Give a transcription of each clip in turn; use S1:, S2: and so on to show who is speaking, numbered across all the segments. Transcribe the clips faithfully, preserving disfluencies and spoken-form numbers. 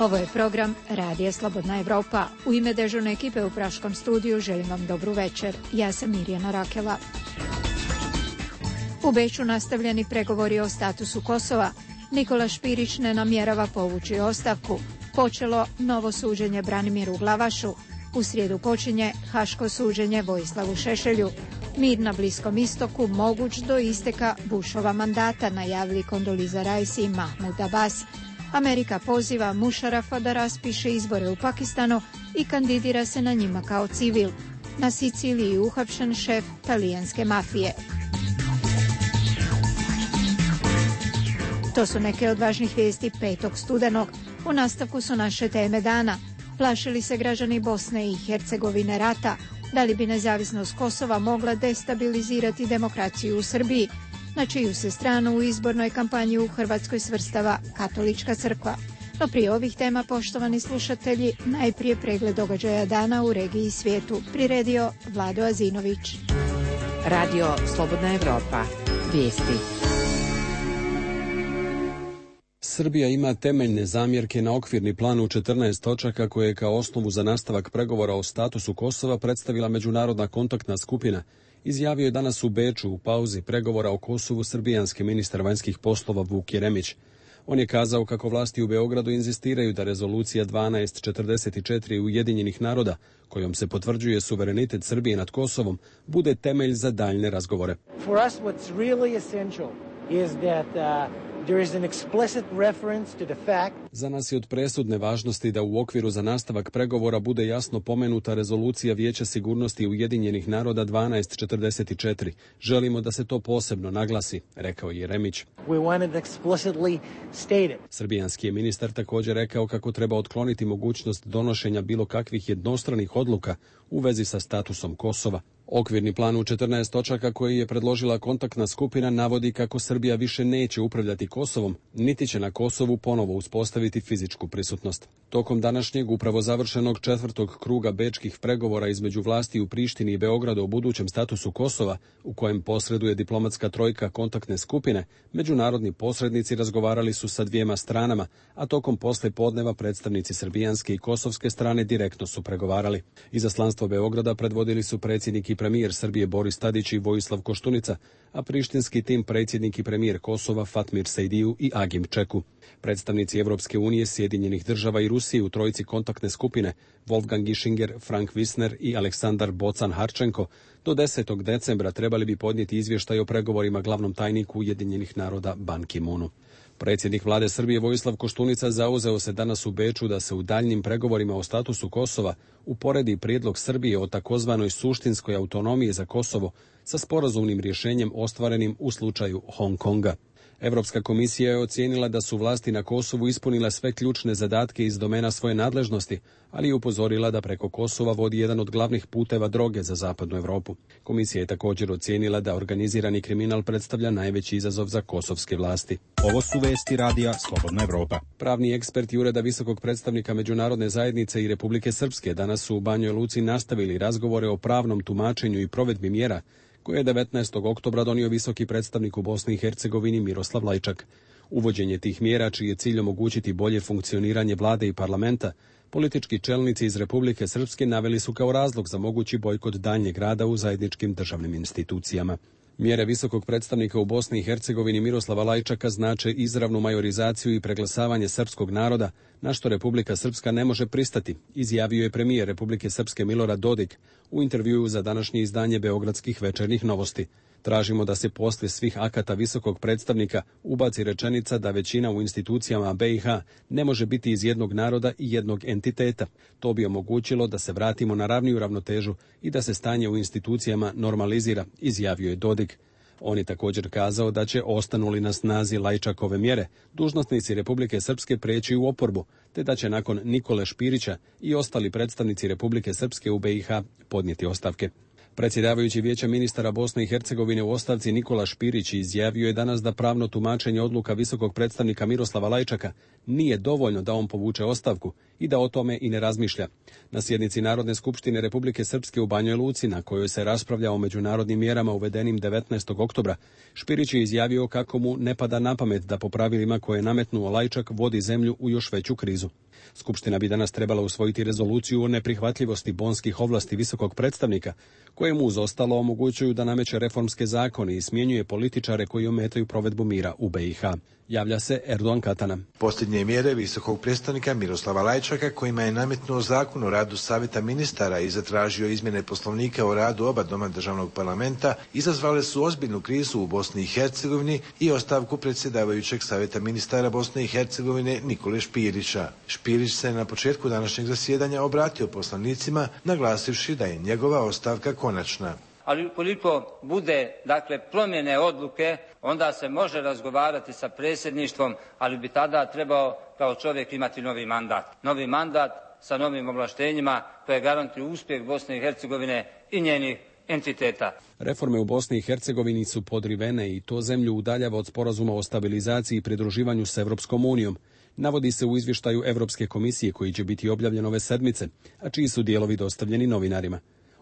S1: Ovo je program Radija Slobodna Evropa. U ime dežurne ekipe u Praškom studiju želim vam dobru večer. Ja sam Mirjana Rakela. U Beču nastavljeni pregovori o statusu Kosova. Nikola Špirić ne namjerava povući ostavku. Počelo novo suđenje Branimiru Glavašu. U srijedu počinje haško suđenje Vojislavu Šešelju. Mir na Bliskom istoku moguć do isteka Bushova mandata, najavili Kondoliza Rice i Mahmud Abbas. Amerika poziva Mušarafa da raspiše izbore u Pakistanu i kandidira se na njima kao civil. Na Siciliji uhapšen šef talijanske mafije. To su neke od važnih vijesti petog studenog. U nastavku su naše teme dana. Plašili se građani Bosne i Hercegovine rata? Da li bi nezavisnost Kosova mogla destabilizirati demokraciju u Srbiji? Na čiju se stranu u izbornoj kampanji u Hrvatskoj svrstava Katolička crkva? No prije ovih tema, poštovani slušatelji, najprije pregled događaja dana u regiji i svijetu. Priredio Vlado Azinović.
S2: Radio Slobodna Evropa. Vijesti.
S3: Srbija ima temeljne zamjerke na okvirni plan u četrnaest točaka koje je kao osnovu za nastavak pregovora o statusu Kosova predstavila Međunarodna kontaktna skupina, izjavio je danas u Beču u pauzi pregovora o Kosovu srbijanski ministar vanjskih poslova Vuk Jeremić. On je kazao kako vlasti u Beogradu inzistiraju da rezolucija dvanaest četrdeset četiri Ujedinjenih naroda, kojom se potvrđuje suverenitet Srbije nad Kosovom, bude temelj za daljne razgovore.
S4: For us what's really essential is that uh... There is an explicit reference to the fact.
S3: Za nas je od presudne važnosti da u okviru za nastavak pregovora bude jasno pomenuta rezolucija Vijeća sigurnosti Ujedinjenih naroda dvanaest četrdeset četiri. Želimo da se to posebno naglasi, rekao je Jeremić.
S4: We want it explicitly stated.
S3: Srbijanski je ministar također rekao kako treba otkloniti mogućnost donošenja bilo kakvih jednostranih odluka u vezi sa statusom Kosova. Okvirni plan u četrnaest točaka koji je predložila kontaktna skupina navodi kako Srbija više neće upravljati Kosovom, niti će na Kosovu ponovo uspostaviti fizičku prisutnost. Tokom današnjeg upravo završenog četvrtog kruga bečkih pregovora između vlasti u Prištini i Beogradu o budućem statusu Kosova, u kojem posreduje diplomatska trojka kontaktne skupine, međunarodni posrednici razgovarali su sa dvijema stranama, a tokom posle podneva predstavnici srbijanske i kosovske strane direktno su pregovarali. Izaslanstvo Beograda predvodili su predsjednik i premijer Srbije Boris Tadić i Vojislav Koštunica, a prištinski tim predsjednik i premijer Kosova Fatmir Sejdiju i Agim Čeku. Predstavnici Evropske unije, Sjedinjenih država i Rusije u trojici kontaktne skupine Wolfgang Ischinger, Frank Wisner i Aleksandar Bocan Harčenko do desetog decembra trebali bi podnijeti izvještaj o pregovorima glavnom tajniku Ujedinjenih naroda Ban Ki-moonu. Predsjednik vlade Srbije Vojislav Koštunica zauzeo se danas u Beču da se u daljnjim pregovorima o statusu Kosova uporedi prijedlog Srbije o takozvanoj suštinskoj autonomiji za Kosovo sa sporazumnim rješenjem ostvarenim u slučaju Hong Konga. Europska komisija je ocijenila da su vlasti na Kosovu ispunile sve ključne zadatke iz domena svoje nadležnosti, ali je upozorila da preko Kosova vodi jedan od glavnih puteva droge za zapadnu Europu. Komisija je također ocijenila da organizirani kriminal predstavlja najveći izazov za kosovske vlasti.
S5: Ovo su vesti Radija Slobodna Evropa.
S3: Pravni eksperti Ureda visokog predstavnika Međunarodne zajednice i Republike Srpske danas su u Banjoj Luci nastavili razgovore o pravnom tumačenju i provedbi mjera koje je devetnaestog oktobra donio visoki predstavnik u Bosni i Hercegovini Miroslav Lajčak. Uvođenje tih mjera, čiji je cilj omogućiti bolje funkcioniranje vlade i parlamenta, politički čelnici iz Republike Srpske naveli su kao razlog za mogući bojkot daljnjeg rada u zajedničkim državnim institucijama. Mjere visokog predstavnika u Bosni i Hercegovini Miroslava Lajčaka znače izravnu majorizaciju i preglasavanje srpskog naroda, na što Republika Srpska ne može pristati, izjavio je premijer Republike Srpske Milorad Dodik u intervjuu za današnje izdanje Beogradskih večernjih novosti. Tražimo da se poslije svih akata visokog predstavnika ubaci rečenica da većina u institucijama B i H ne može biti iz jednog naroda i jednog entiteta. To bi omogućilo da se vratimo na ravniju ravnotežu i da se stanje u institucijama normalizira, izjavio je Dodik. On je također kazao da će, ostanu li na snazi Lajčakove mjere, dužnosnici Republike Srpske preći u oporbu, te da će nakon Nikole Špirića i ostali predstavnici Republike Srpske u B i H podnijeti ostavke. Predsjedavajući Vijeća ministara Bosne i Hercegovine u ostavci Nikola Špirić izjavio je danas da pravno tumačenje odluka visokog predstavnika Miroslava Lajčaka nije dovoljno da on povuče ostavku i da o tome i ne razmišlja. Na sjednici Narodne skupštine Republike Srpske u Banjoj Luci, na kojoj se raspravlja o međunarodnim mjerama uvedenim devetnaestog oktobra, Špirić je izjavio kako mu ne pada na pamet da po pravilima koje je nametnuo Lajčak vodi zemlju u još veću krizu. Skupština bi danas trebala usvojiti rezoluciju o neprihvatljivosti bonskih ovlasti visokog predstavnika, koje mu uz ostalo omogućuju da nameće reformske zakone i smjenjuje političare koji ometaju provedbu mira u be i ha. Javlja se Erdogan Katana.
S6: Posljednje mjere visokog predstavnika Miroslava Lajčaka, kojima je nametnuo zakon o radu savjeta ministara i zatražio izmjene poslovnika o radu oba doma državnog parlamenta, izazvale su ozbiljnu krizu u Bosni i Hercegovini i ostavku predsjedavajućeg savjeta ministara Bosne i Hercegovine Nikole Špirića. Špirić se na početku današnjeg zasjedanja obratio poslanicima, naglasivši da je njegova ostavka konačna.
S7: Ali ukoliko bude, dakle, promjene odluke, onda se može razgovarati sa predsjedništvom, ali bi tada trebao kao čovjek imati novi mandat. Novi mandat sa novim ovlaštenjima koje garantuju uspjeh Bosne i Hercegovine i njenih entiteta.
S3: Reforme u Bosni i Hercegovini su podrivene i to zemlju udaljava od sporazuma o stabilizaciji i pridruživanju s Evropskom unijom. Navodi se u izvještaju Europske komisije koji će biti objavljen ove sedmice, a čiji su dijelovi dostavljeni novinarima.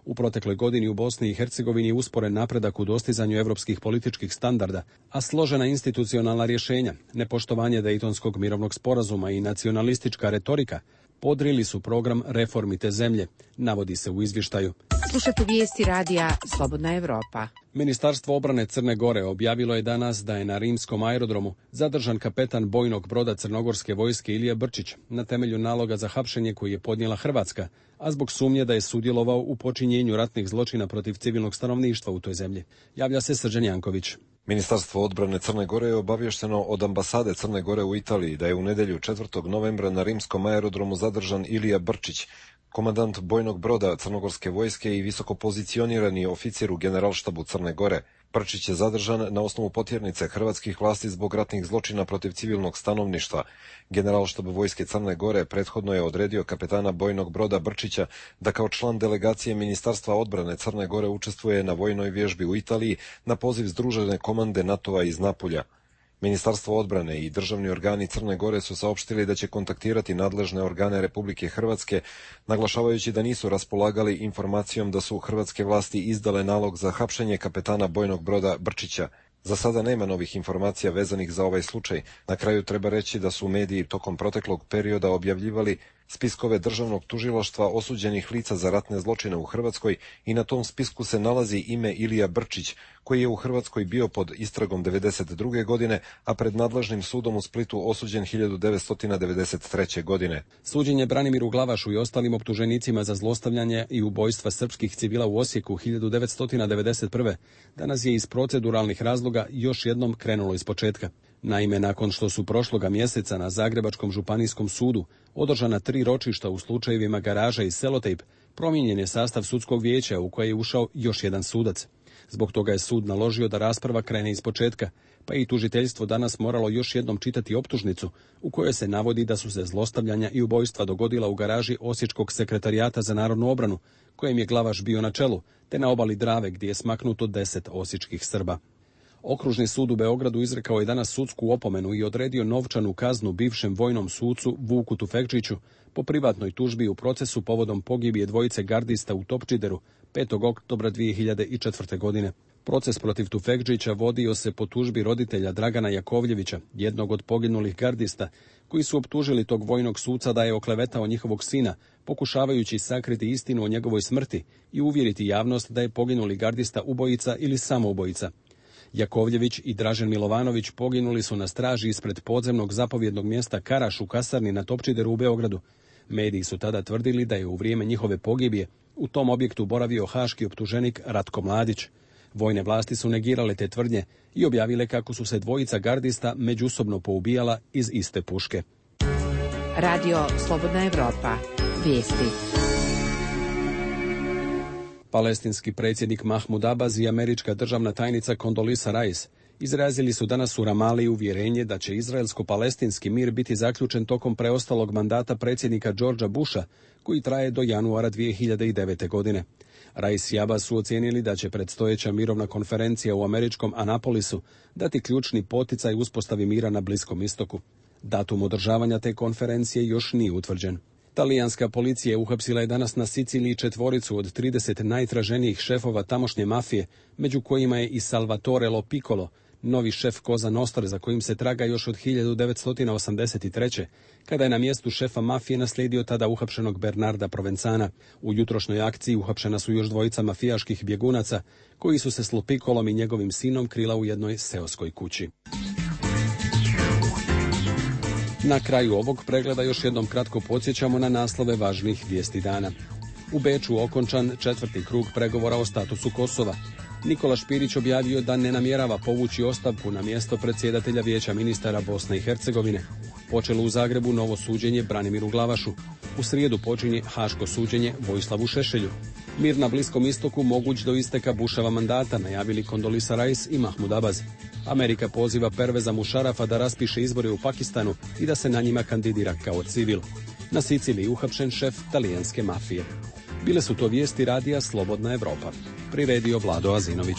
S3: U protekloj godini u Bosni i Hercegovini je usporen napredak u dostizanju europskih političkih standarda, a složena institucionalna rješenja, nepoštovanje Dejtonskog mirovnog sporazuma i nacionalistička retorika podrili su program reformi te zemlje, navodi se u izvještaju.
S2: Slušate vijesti radija Slobodna Evropa.
S3: Ministarstvo obrane Crne Gore objavilo je danas da je na rimskom aerodromu zadržan kapetan bojnog broda crnogorske vojske Ilija Brčić na temelju naloga za hapšenje koji je podnijela Hrvatska, a zbog sumnje da je sudjelovao u počinjenju ratnih zločina protiv civilnog stanovništva u toj zemlji. Javlja se Srđan Janković.
S8: Ministarstvo odbrane Crne Gore je obavješteno od ambasade Crne Gore u Italiji da je u nedjelju četvrtog novembra na rimskom aerodromu zadržan Ilija Brčić, komandant bojnog broda crnogorske vojske i visoko pozicionirani oficir u generalštabu Crne Gore. Brčić je zadržan na osnovu potjernice hrvatskih vlasti zbog ratnih zločina protiv civilnog stanovništva. Generalštab vojske Crne Gore prethodno je odredio kapetana bojnog broda Brčića da kao član delegacije Ministarstva odbrane Crne Gore učestvuje na vojnoj vježbi u Italiji na poziv Združene komande NATO-a iz Napulja. Ministarstvo odbrane i državni organi Crne Gore su saopštili da će kontaktirati nadležne organe Republike Hrvatske, naglašavajući da nisu raspolagali informacijom da su hrvatske vlasti izdale nalog za hapšenje kapetana bojnog broda Brčića. Za sada nema novih informacija vezanih za ovaj slučaj. Na kraju treba reći da su mediji tokom proteklog perioda objavljivali spiskove državnog tužilaštva osuđenih lica za ratne zločine u Hrvatskoj i na tom spisku se nalazi ime Ilija Brčić, koji je u Hrvatskoj bio pod istragom devedeset druge godine, a pred nadležnim sudom u Splitu osuđen hiljadu devetsto devedeset treće godine.
S3: Suđenje Branimiru Glavašu i ostalim optuženicima za zlostavljanje i ubojstva srpskih civila u Osijeku hiljadu devetsto devedeset prve danas je iz proceduralnih razloga još jednom krenulo iz početka. Naime, nakon što su prošloga mjeseca na Zagrebačkom županijskom sudu održana tri ročišta u slučajevima Garaža i Selotejp, promijenjen je sastav sudskog vijeća u koje je ušao još jedan sudac. Zbog toga je sud naložio da rasprava krene iz početka, pa i tužiteljstvo danas moralo još jednom čitati optužnicu u kojoj se navodi da su se zlostavljanja i ubojstva dogodila u garaži Osječkog sekretarijata za narodnu obranu, kojem je Glavaš bio na čelu, te na obali Drave gdje je smaknuto deset osječkih Srba. Okružni sud u Beogradu izrekao je danas sudsku opomenu i odredio novčanu kaznu bivšem vojnom sucu Vuku Tufekčiću po privatnoj tužbi u procesu povodom pogibije dvojice gardista u Topčideru petog oktobra dvije hiljade četvrte. godine. Proces protiv Tufekčića vodio se po tužbi roditelja Dragana Jakovljevića, jednog od poginulih gardista, koji su optužili tog vojnog suca da je oklevetao njihovog sina, pokušavajući sakriti istinu o njegovoj smrti i uvjeriti javnost da je poginuli gardista ubojica ili samoubojica. Jakovljević i Dražen Milovanović poginuli su na straži ispred podzemnog zapovjednog mjesta Karaš u kasarni na Topčideru u Beogradu. Mediji su tada tvrdili da je u vrijeme njihove pogibije u tom objektu boravio haški optuženik Ratko Mladić. Vojne vlasti su negirale te tvrdnje i objavile kako su se dvojica gardista međusobno poubijala iz iste puške.
S2: Radio Slobodna Evropa. Vijesti.
S3: Palestinski predsjednik Mahmud Abbas i američka državna tajnica Condoleezza Rice izrazili su danas u Ramali uvjerenje da će izraelsko-palestinski mir biti zaključen tokom preostalog mandata predsjednika Georgea Busha, koji traje do januara dvije hiljade devete. godine. Rice i Abbas su ocijenili da će predstojeća mirovna konferencija u američkom Anapolisu dati ključni poticaj uspostavi mira na Bliskom istoku. Datum održavanja te konferencije još nije utvrđen. Talijanska policija uhapsila je danas na Siciliji četvoricu od trideset najtraženijih šefova tamošnje mafije, među kojima je i Salvatore Lo Piccolo, Novi šef Koza Nostre, za kojim se traga još od hiljadu devetsto osamdeset treće. kada je na mjestu šefa mafije naslijedio tada uhapšenog Bernarda Provenzana. U jutrošnjoj akciji uhapšena su još dvojica mafijaških bjegunaca, koji su se s Lopikolom i njegovim sinom krila u jednoj seoskoj kući. Na kraju ovog pregleda još jednom kratko podsjećamo na naslove važnih vijesti dana. U Beču okončan četvrti krug pregovora o statusu Kosova. Nikola Špirić objavio da ne namjerava povući ostavku na mjesto predsjedatelja Vijeća ministara Bosne i Hercegovine. Počelo u Zagrebu novo suđenje Branimiru Glavašu. U srijedu počinje haško suđenje Vojislavu Šešelju. Mir na Bliskom istoku moguć do isteka Buševa mandata, najavili Kondolisa Rice i Mahmud Abbas. Amerika poziva Perveza Mušarafa da raspiše izbore u Pakistanu i da se na njima kandidira kao civil. Na Siciliji uhapšen šef talijanske mafije. Bile su to vijesti radija Slobodna Evropa. Priredio Vlado Azinović.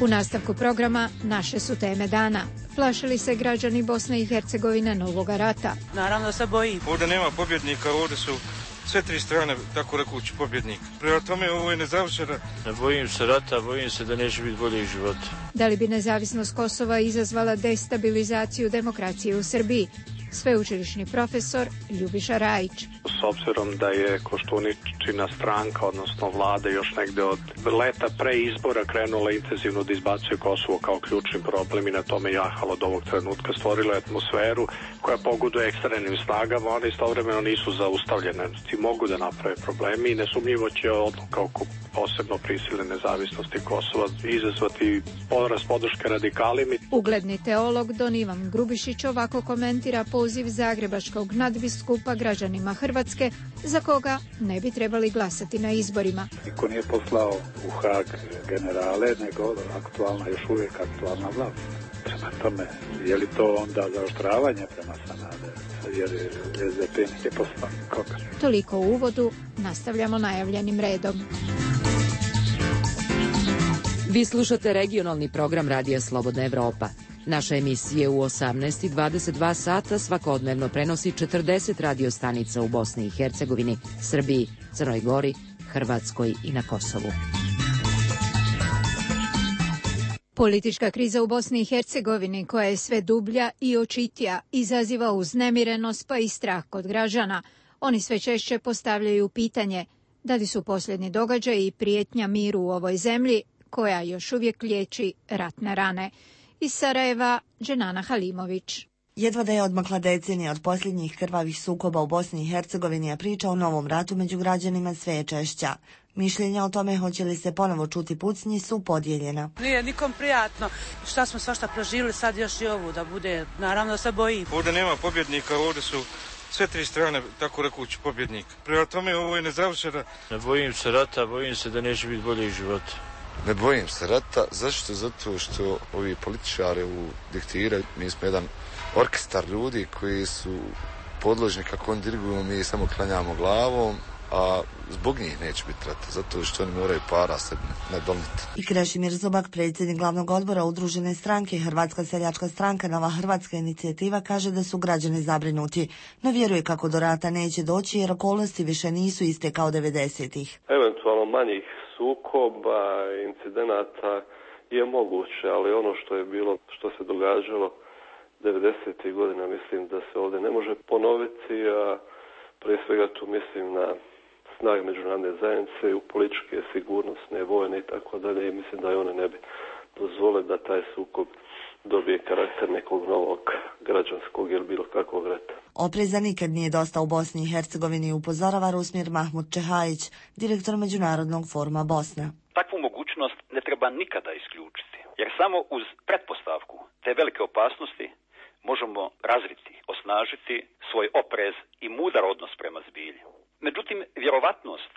S1: U nastavku programa naše su teme dana. Plašili se građani Bosne i Hercegovine novoga rata?
S9: Naravno se bojim.
S10: Ovdje nema pobjednika, ovdje su sve tri strane, tako rekući, pobjednik. Prema tome ovo je nezavršeno.
S11: Ne bojim se rata, bojim se da neće biti boljih života.
S1: Da li bi nezavisnost Kosova izazvala destabilizaciju demokracije u Srbiji? Sveučilišni profesor Ljubiša Rajić.
S12: S obzirom da je Koštuničina stranka, odnosno vlada, još negde od leta pre izbora krenula intenzivno da izbacuje Kosovo kao ključni problem i na tome jahalo od ovog trenutka, stvorila atmosferu koja pogoduje ekstremnim snagama, one istovremeno nisu zaustavljene. Ti mogu da naprave problemi i nesumnjivo će odluka oko posebno prisilne nezavisnosti Kosova izazvati porast podrške radikalima.
S1: Ugledni teolog Don Ivan Grubišić ovako komentira poziv zagrebačkog nadbiskupa građanima Hrvatske za koga ne bi trebali glasati na izborima.
S12: Niko nije poslao u Hag generale, nego aktualna, još uvijek aktualna vlast. Prema tome, je li to onda zaoštravanje prema Sanaderu? Jer S D P nije poslao nikoga.
S1: Toliko u uvodu, nastavljamo najavljenim redom.
S2: Vi slušate regionalni program Radija Slobodna Evropa. Naša emisija u osamnaest i dvadeset dva sata svakodnevno prenosi četrdeset radio stanica u Bosni i Hercegovini, Srbiji, Crnoj Gori, Hrvatskoj i na Kosovu.
S1: Politička kriza u Bosni i Hercegovini, koja je sve dublja i očitija, izaziva uznemirenost pa i strah kod građana. Oni sve češće postavljaju pitanje da li su posljednji događaji i prijetnja miru u ovoj zemlji, koja još uvijek liječi ratne rane. Iz Sarajeva, Dženana Halimović.
S13: Jedva da je odmakla decenija od posljednjih krvavih sukoba u Bosni i Hercegovini, a priča o novom ratu među građanima sve je češća. Mišljenja o tome hoće li se ponovo čuti pucnji su podijeljena.
S9: Nije nikom prijatno. Šta smo svašta proživjeli, sad još i ovu da bude, naravno se bojim.
S10: Ovdje nema pobjednika, ovdje su sve tri strane, tako rekući, pobjednik. Prema tome ovo je nezavršeno.
S11: Ne bojim se rata, bojim se da neće biti boljih života.
S14: Ne bojim se rata, zašto? Zato što ovi političari u diktiraju, mi smo jedan orkestar ljudi koji su podložni kako oni diriguju, mi samo klanjamo glavom, a zbog njih neće biti rata, zato što oni moraju para se ne doniti.
S13: I Krešimir Zubak, predsjednik glavnog odbora udružene stranke Hrvatska seljačka stranka Nova Hrvatska inicijativa, kaže da su građani zabrinuti, no vjeruje kako do rata neće doći jer okolnosti više nisu iste kao devedesetih.
S15: Eventualno manjih sukoba, incidenata je moguće, ali ono što je bilo, što se događalo devedesetih godina, mislim da se ovdje ne može ponoviti, a prije svega tu mislim na snage međunarodne zajednice, u političke, sigurnosne, vojne i tako dalje, i mislim da i one ne bi dozvole da taj sukob dobije karakter nekog novog građanskog ili bilo kakvog rata.
S13: Opreza nikad nije dosta u Bosni i Hercegovini, upozorava Rusmir Mahmud Čehajić, direktor Međunarodnog foruma Bosna.
S16: Takvu mogućnost ne treba nikada isključiti, jer samo uz pretpostavku te velike opasnosti možemo razviti, osnažiti svoj oprez i mudar odnos prema zbilju. Međutim, vjerovatnost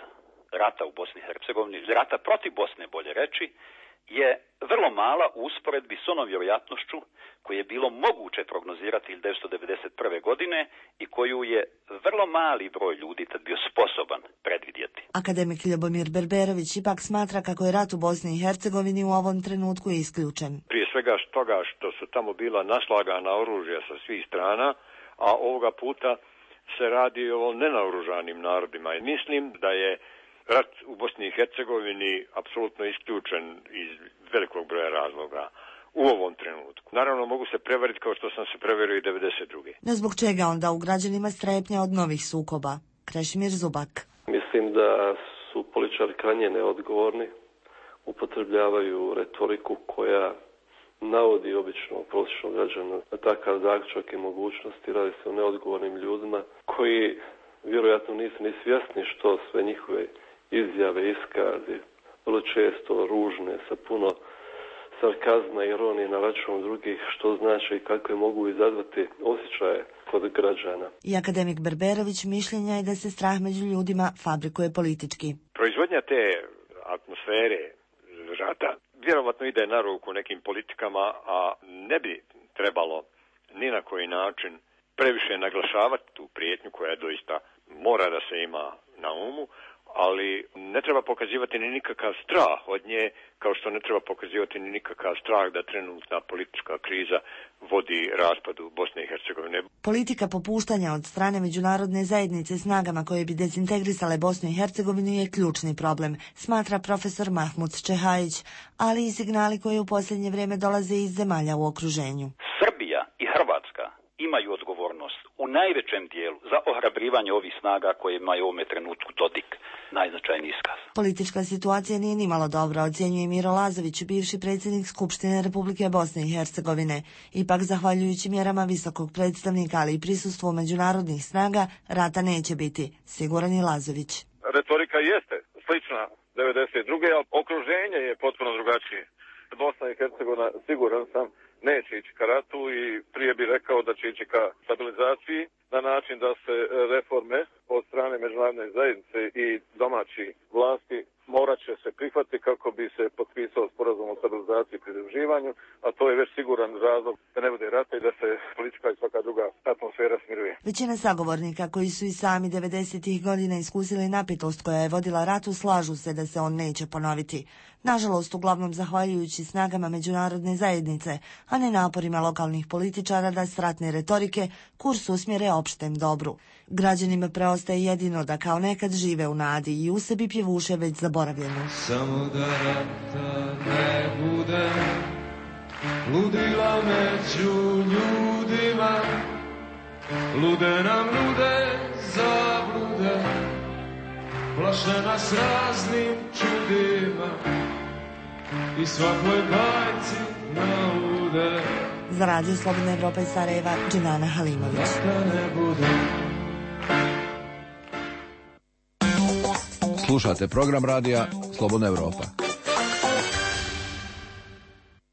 S16: rata u Bosni i Hercegovini, rata protiv Bosne bolje reći, je vrlo mala u usporedbi s onom vjerojatnošću koju je bilo moguće prognozirati hiljadu devetsto devedeset prve. godine i koju je vrlo mali broj ljudi tad bio sposoban predvidjeti.
S13: Akademik Ljubomir Berberović ipak smatra kako je rat u Bosni i Hercegovini u ovom trenutku isključen.
S17: Prije svega toga što su tamo bila naslagana oružja sa svih strana, a ovoga puta se radi o nenaoružanim narodima. I mislim da je rat u Bosni i Hercegovini apsolutno isključen iz velikog broja razloga u ovom trenutku. Naravno, mogu se prevariti kao što sam se prevario i devedeset druge.
S13: No zbog čega onda u građanima strepnja od novih sukoba? Krešimir Zubak.
S15: Mislim da su političari krajnje neodgovorni, upotrebljavaju retoriku koja navodi obično prosječnog građana na takav zaključak i mogućnosti. Radi se o neodgovornim ljudima koji vjerojatno nisu ni svjesni što sve njihove izjave, iskazi, vrlo često ružne, sa puno sarkazma i ironije na račun drugih, što znači i kakve mogu izazvati osjećaje kod građana.
S13: I akademik Berberović mišljenja je da se strah među ljudima fabrikuje politički.
S17: Proizvodnja te atmosfere rata vjerovatno ide na ruku nekim politikama, a ne bi trebalo ni na koji način previše naglašavati tu prijetnju koja doista mora da se ima na umu, ali ne treba pokazivati ni nikakav strah od nje, kao što ne treba pokazivati ni nikakav strah da trenutna politička kriza vodi raspadu Bosne i Hercegovine.
S13: Politika popuštanja od strane međunarodne zajednice snagama koje bi dezintegrisale Bosnu i Hercegovinu je ključni problem, smatra profesor Mahmud Čehajić, ali i signali koji u posljednje vrijeme dolaze iz zemalja u okruženju.
S16: Srbija i Hrvatska imaju odgovornost u najvećem dijelu za ohrabrivanje ovih snaga koje imaju u ovome trenutku Dodik, najznačajniji iskaz.
S13: Politička situacija nije nimalo dobra, ocjenjuje Miro Lazović, bivši predsjednik Skupštine Republike Bosne i Hercegovine. Ipak, zahvaljujući mjerama visokog predstavnika, ali i prisustvu međunarodnih snaga, rata neće biti, siguran je Lazović.
S18: Retorika jeste slična devedeset druge, ali okruženje je potpuno drugačije. Bosna i Hercegovina, siguran sam, neće ići ka ratu i prije bi rekao da će ići ka stabilizaciji na način da se reforme od strane međunarodne zajednice i domaći vlasti morat će se prihvatiti kako bi se potpisao sporazum o stabilizaciji i pridruživanju, a to je već siguran razlog da ne bude rata i da se politička i svaka druga atmosfera smiruje.
S13: Većina sagovornika koji su i sami devedesetih godina iskusili napetost koja je vodila ratu slažu se da se on neće ponoviti. Nažalost, uglavnom zahvaljujući snagama međunarodne zajednice, a ne naporima lokalnih političara da s ratne retorike kurs usmjere opštem dobru. Građanima preostaje jedino da kao nekad žive u nadi i u sebi pjevuše već zaboravljenu.
S19: Samo da rata ne bude, ludila među ljudima, lude nam lude zablude, plaše nas raznim čudima i svakoj bajci naude.
S13: Za Radio Slobodna Evropa iz Sarajeva, Dženana Halimović.
S20: Slušate program radija Slobodna Evropa.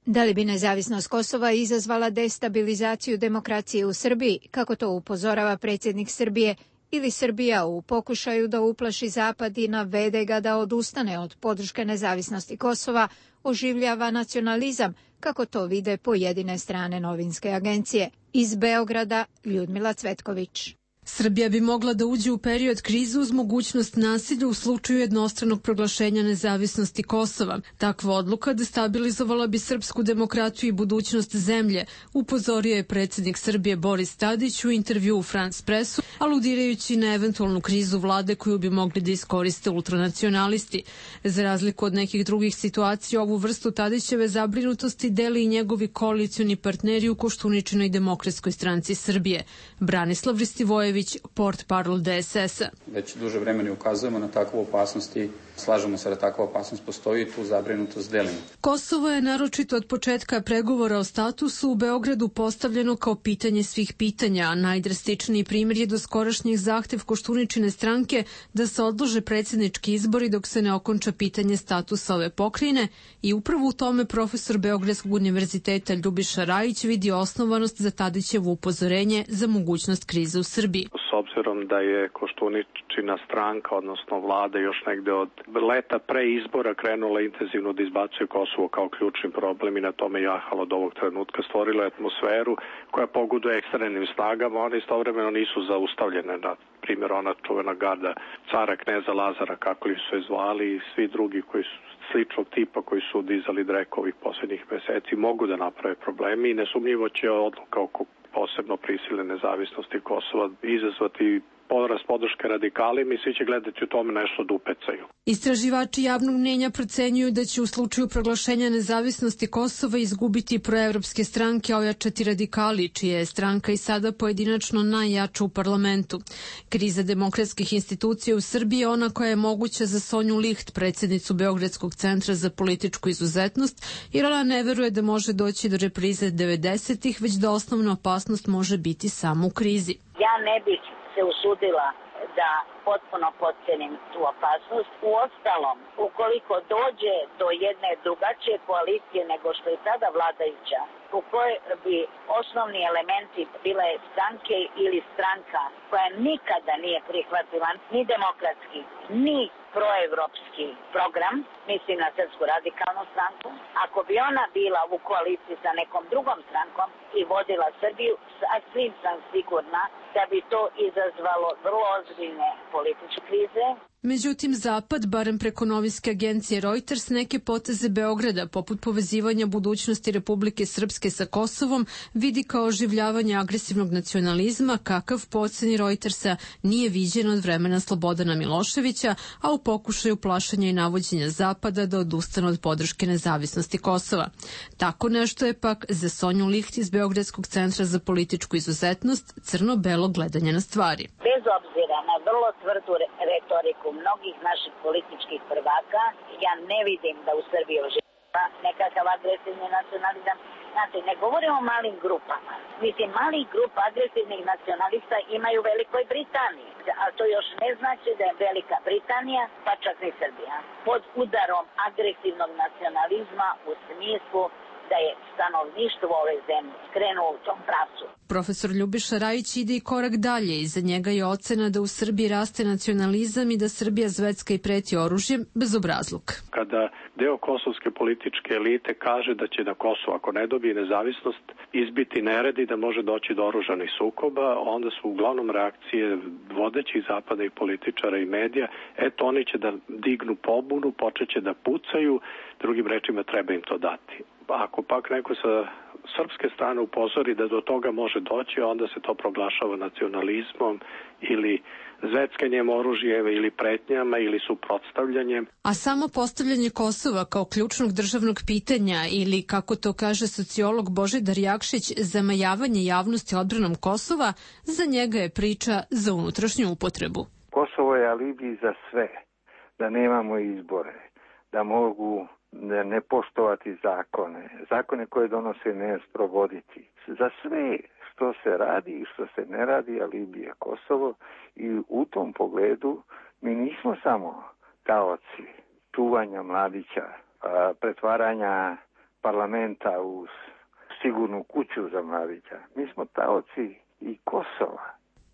S1: Da li bi nezavisnost Kosova izazvala destabilizaciju demokracije u Srbiji, kako to upozorava predsjednik Srbije, ili Srbija u pokušaju da uplaši Zapad i navede ga da odustane od podrške nezavisnosti Kosova, oživljava nacionalizam, kako to vide pojedine strane novinske agencije. Iz Beograda, Ljudmila Cvetković.
S21: Srbija bi mogla da uđe u period krize uz mogućnost nasilja u slučaju jednostranog proglašenja nezavisnosti Kosova. Takva odluka destabilizovala bi srpsku demokratiju i budućnost zemlje, upozorio je predsjednik Srbije Boris Tadić u intervju u France Pressu, aludirajući na eventualnu krizu vlade koju bi mogli da iskoriste ultranacionalisti. Za razliku od nekih drugih situacija, ovu vrstu Tadićeve zabrinutosti deli i njegovi koalicioni partneri u Koštuničinoj demokratskoj stranci Srbije. Branislav Ristivojević, port parol D S S-a.
S22: Već duže vremena ukazujemo na takvu opasnost i slažemo se da takva opasnost postoji i tu zabrinutost delimo.
S21: Kosovo je naročito od početka pregovora o statusu u Beogradu postavljeno kao pitanje svih pitanja, a najdrastičniji primjer je doskorašnjih zahtev Koštuničine stranke da se odlože predsjednički izbori dok se ne okonča pitanje statusa ove pokrajine i upravo u tome profesor Beogradskog univerziteta Ljubiša Rajić vidi osnovanost za Tadićevo upozorenje za mogućnost krize u Srbiji.
S12: S obzirom da je Koštuničina stranka, odnosno vlada, još negde od leta pre izbora krenula intenzivno da izbacuje Kosovo kao ključni problem i na tome jahalo od ovog trenutka stvorila atmosferu koja pogoduje ekstremnim snagama, one istovremeno nisu zaustavljene. Na primjer, ona čuvena garda cara kneza Lazara, kako li su je zvali, i svi drugi koji su sličnog tipa koji su dizali dreko ovih posljednjih meseci mogu da naprave problemi i nesumnjivo će odluka oko posebno prisile nezavisnosti Kosova izazvati porast podrške radikalima i svi će gledati u tome nešto da upecaju.
S21: Istraživači javnog mnjenja procenjuju da će u slučaju proglašenja nezavisnosti Kosova izgubiti proevropske stranke, a ojačati radikali, čija je stranka i sada pojedinačno najjača u parlamentu. Kriza demokratskih institucija u Srbiji je ona koja je moguća za Sonju Licht, predsjednicu Beogradskog centra za političku izuzetnost, jer ona ne veruje da može doći do reprize devedesetih, već da osnovna opasnost može biti samo u krizi.
S4: Ja ne bih se usudila da potpuno potcenim tu opasnost. U ostalom, ukoliko dođe do jedne drugačije koalicije nego što je sada vladajuća, u kojoj bi osnovni elementi bile stranke ili stranka koja nikada nije prihvatila ni demokratski, ni proevropski program, mislim na Srpsku radikalnu stranku, ako bi ona bila u koaliciji sa nekom drugom strankom i vodila Srbiju, sasvim sam sigurna da bi to izazvalo vrlo ozbiljne političke krize.
S21: Međutim, Zapad, barem preko novinske agencije Reuters, neke poteze Beograda, poput povezivanja budućnosti Republike Srpske sa Kosovom, vidi kao oživljavanje agresivnog nacionalizma, kakav po oceni Reutersa nije viđen od vremena Slobodana Miloševića, a u pokušaju plašenja i navođenja Zapada da odustane od podrške nezavisnosti Kosova. Tako nešto je pak za Sonju Licht iz Beogradskog centra za političku izuzetnost crno-belo gledanje na stvari.
S4: Bez obzira na vrlo tvrdu retoriku mnogih naših političkih prvaka, ja ne vidim da u Srbiji oživljava nekakav agresivni nacionalizam. Znate, ne govorimo o malim grupama. Mislim, malih grupa agresivnih nacionalista imaju u Velikoj Britaniji, a to još ne znači da je Velika Britanija, pa čak ni Srbija, pod udarom agresivnog nacionalizma u smislu da je stanovništvo ove zemlje krenuo u tom pravcu.
S21: Profesor Ljubiša Rajić ide i korak dalje i za njega je ocena da u Srbiji raste nacionalizam i da Srbija zvecka i preti oružjem bezobrazluk.
S12: Kada deo kosovske političke elite kaže da će na Kosovo, ako ne dobije nezavisnost, izbiti nered i da može doći do oružanih sukoba, onda su uglavnom reakcije vodećih zapadnih političara i medija, eto oni će da dignu pobunu, počeće da pucaju, drugim rečima treba im to dati. Ako pak neko sa srpske strane upozori da do toga može doći, onda se to proglašava nacionalizmom ili zveckanjem oružjem ili pretnjama ili suprotstavljanjem.
S21: A samo postavljanje Kosova kao ključnog državnog pitanja ili, kako to kaže sociolog Božidar Jakšić, zamajavanje javnosti odbranom Kosova, za njega je priča za unutrašnju upotrebu.
S5: Kosovo je alibi za sve, da nemamo izbore, da mogu ne poštovati zakone, zakone koje donose ne sprovoditi. Za sve što se radi i što se ne radi, alibi je Kosovo i u tom pogledu mi nismo samo taoci čuvanja mladića, pretvaranja parlamenta u sigurnu kuću za mladića. Mi smo taoci i Kosova.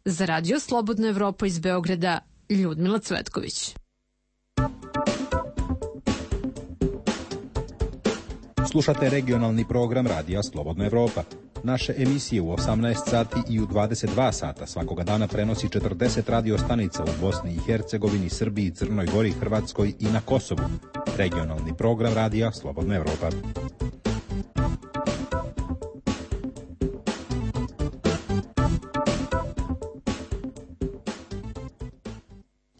S21: Za Radio Slobodna Evropa iz Beograda, Ljudmila Cvetković.
S23: Slušate regionalni program Radija Slobodna Evropa. Naše emisije u osamnaest sati i u dvadeset dva sata svakoga dana prenosi četrdeset radio stanica u Bosni i Hercegovini, Srbiji, Crnoj Gori, Hrvatskoj i na Kosovu. Regionalni program Radija Slobodna Evropa.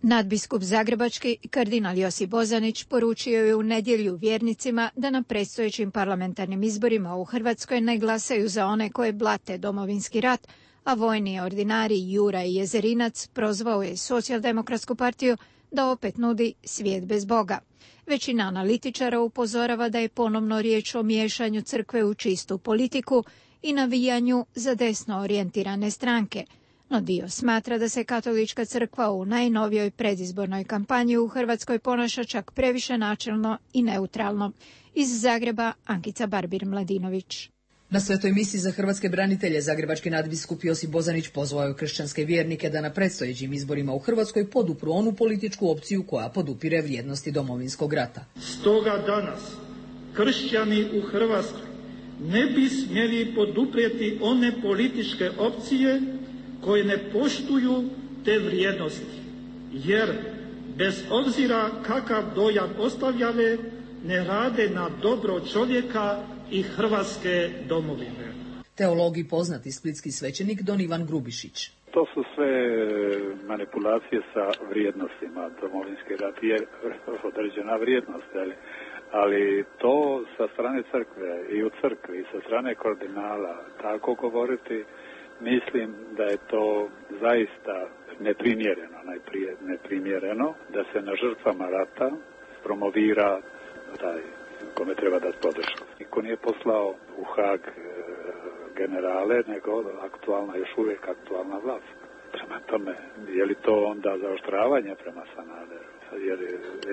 S1: Nadbiskup Zagrebački, kardinal Josip Bozanić, poručio je u nedjelju vjernicima da na predstojećim parlamentarnim izborima u Hrvatskoj ne glasaju za one koje blate domovinski rat, a vojni ordinari Jura i Jezerinac prozvao je Socijaldemokratsku partiju da opet nudi svijet bez Boga. Većina analitičara upozorava da je ponovno riječ o miješanju crkve u čistu politiku i navijanju za desno orijentirane stranke. No dio smatra da se katolička crkva u najnovijoj predizbornoj kampanji u Hrvatskoj ponaša čak previše načelno i neutralno. Iz Zagreba, Ankica Barbir-Mladinović.
S24: Na svetoj misiji za hrvatske branitelje zagrebački nadbiskup Josip Bozanić pozvao je kršćanske vjernike da na predstojećim izborima u Hrvatskoj podupru onu političku opciju koja podupire vrijednosti domovinskog rata.
S25: Stoga danas kršćani u Hrvatskoj ne bi smjeli poduprijeti one političke opcije koje ne poštuju te vrijednosti, jer bez obzira kakav dojam ostavljale, ne rade na dobro čovjeka i Hrvatske domovine.
S24: Teolog i poznati splitski svećenik Don Ivan Grubišić.
S2: To su sve manipulacije sa vrijednostima. Domovinski rat je određena vrijednost, ali, ali to sa strane crkve i u crkvi, sa strane kardinala, tako govoriti, mislim da je to zaista neprimjereno, najprije neprimjereno, da se na žrtvama rata promovira taj kome treba dati podršku. Niko nije poslao u Hag generale, nego aktualna, još uvijek aktualna vlast. Prema tome, je li to onda zaoštravanje prema Sanaderu? Jer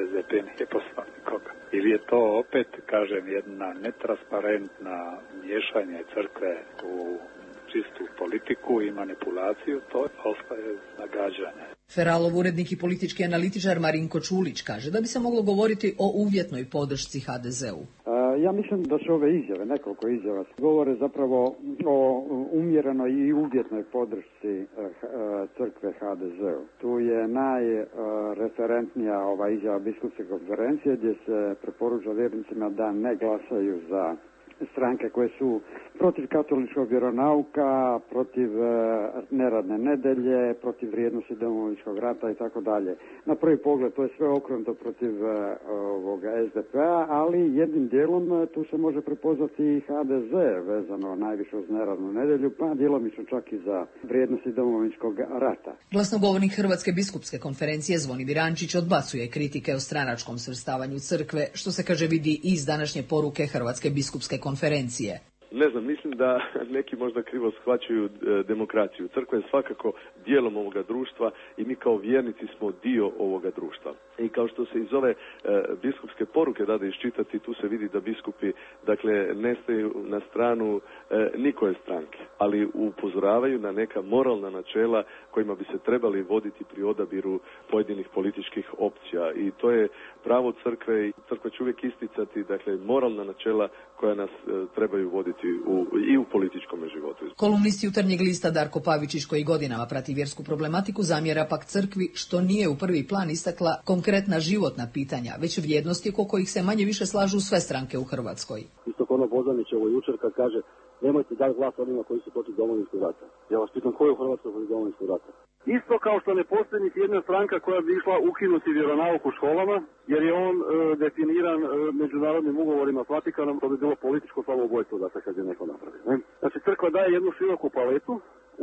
S2: S D P nije poslao nikoga. Ili je to opet, kažem, jedna netransparentna miješanje crkve u čistu politiku i manipulaciju, to ostaje nagađanje.
S24: Feralov urednik i politički analitičar Marinko Čulić kaže da bi se moglo govoriti o uvjetnoj podršci H D Z-u.
S3: Ja mislim da su ove izjave, nekoliko izjava, govore zapravo o umjerenoj i uvjetnoj podršci crkve H D Z-u. Tu je najreferentnija ova izjava biskupske konferencije gdje se preporuča vjernicima da ne glasaju za stranke koje su protiv katoličkog vjeronauka, protiv e, neradne nedelje, protiv vrijednosti Domovinskog rata i tako dalje. Na prvi pogled to je sve okrenuto protiv e, ovoga S D P-a, ali jednim dijelom tu se može prepoznati i H D Z vezano najviše uz neradnu nedelju, pa djelomično čak i za vrijednosti Domovinskog rata.
S24: Glasnogovornik Hrvatske biskupske konferencije Zvonimir Ančić odbacuje kritike o stranačkom svrstavanju crkve, što se kaže vidi iz današnje poruke Hrvatske biskupske konferencije.
S6: Ne znam, mislim da neki možda krivo shvaćaju demokraciju. Crkva je svakako dijelom ovoga društva i mi kao vjernici smo dio ovoga društva. I kao što se iz ove e, biskupske poruke dade iščitati, tu se vidi da biskupi, dakle, ne staju na stranu e, nikoje stranke, ali upozoravaju na neka moralna načela kojima bi se trebali voditi pri odabiru pojedinih političkih opcija. I to je pravo crkve i crkva će uvijek isticati, dakle, moralna načela koja nas e, trebaju voditi u, i u političkom životu.
S24: Kolumnist Jutarnjeg lista Darko Pavičić, koji godinama prati vjersku problematiku, zamjera pak crkvi što nije u prvi plan istakla konkretna životna pitanja, već vrijednosti oko kojih se manje više slažu sve stranke u Hrvatskoj.
S7: Isto ono Bozanićevo jučer kad kaže nemojte dati glas onima koji su protiv Domovinskog rata. Ja vas pitam, ko je u Hrvatskoj protiv Domovinskog rata? Isto kao što ne postoji niti jedna stranka koja bi išla ukinuti vjeronauk u školama, jer je on e, definiran e, međunarodnim ugovorima s Vatikanom, to bi bilo političko samoubojstvo da se kad je neko napravi. Ne? Znači crkva daje jednu široku paletu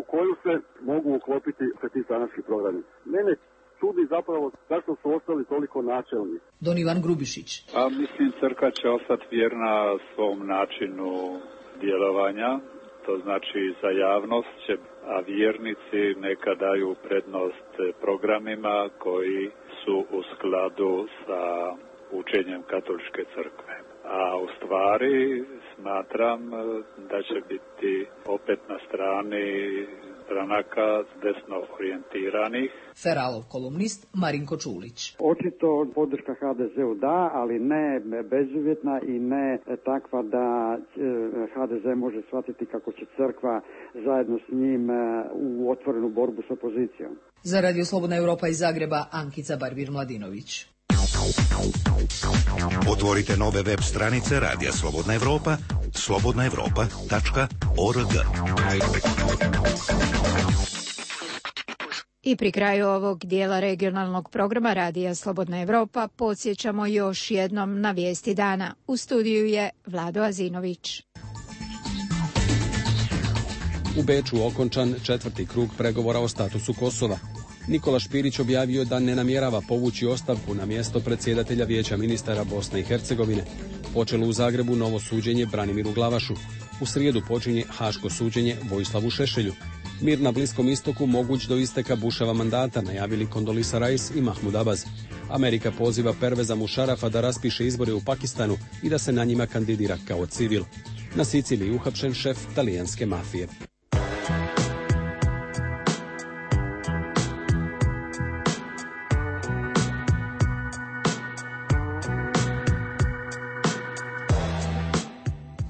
S7: u koju se mogu uklopiti sve ti stranački programi. Mene čudi zapravo zašto su ostali toliko načelni.
S24: Don Ivan Grubišić.
S2: A mislim crkva će ostati vjerna svom načinu djelovanja. To znači za javnost će, a vjernici neka daju prednost programima koji su u skladu sa učenjem katoličke crkve. A u stvari smatram da će biti opet na strani stranaka desno orijentiranih.
S24: Feralov kolumnist Marinko Čulić.
S3: Očito podrška H D Z-u da, ali ne bezuvjetna i ne takva da H D Z može shvatiti kako će crkva zajedno s njim u otvorenu borbu s opozicijom.
S24: Za Radio Slobodna Europa iz Zagreba, Ankica Barbir-Mladinović.
S8: Otvorite nove web stranice Radija Slobodna Europa, slobodna europa tačka org.
S1: I pri kraju ovog dijela regionalnog programa Radija Slobodna Europa podsjećamo još jednom na vijesti dana. U studiju je Vlado Azinović.
S23: U Beču okončan četvrti krug pregovora o statusu Kosova. Nikola Špirić objavio da ne namjerava povući ostavku na mjesto predsjedatelja Vijeća ministara Bosne i Hercegovine. Počelo u Zagrebu novo suđenje Branimiru Glavašu. U srijedu počinje haško suđenje Vojislavu Šešelju. Mir na Bliskom istoku moguć do isteka Buševa mandata, najavili Kondolisa Rice i Mahmud Abbas. Amerika poziva Perveza Mušarafa da raspiše izbore u Pakistanu i da se na njima kandidira kao civil. Na Siciliji uhapšen šef talijanske mafije.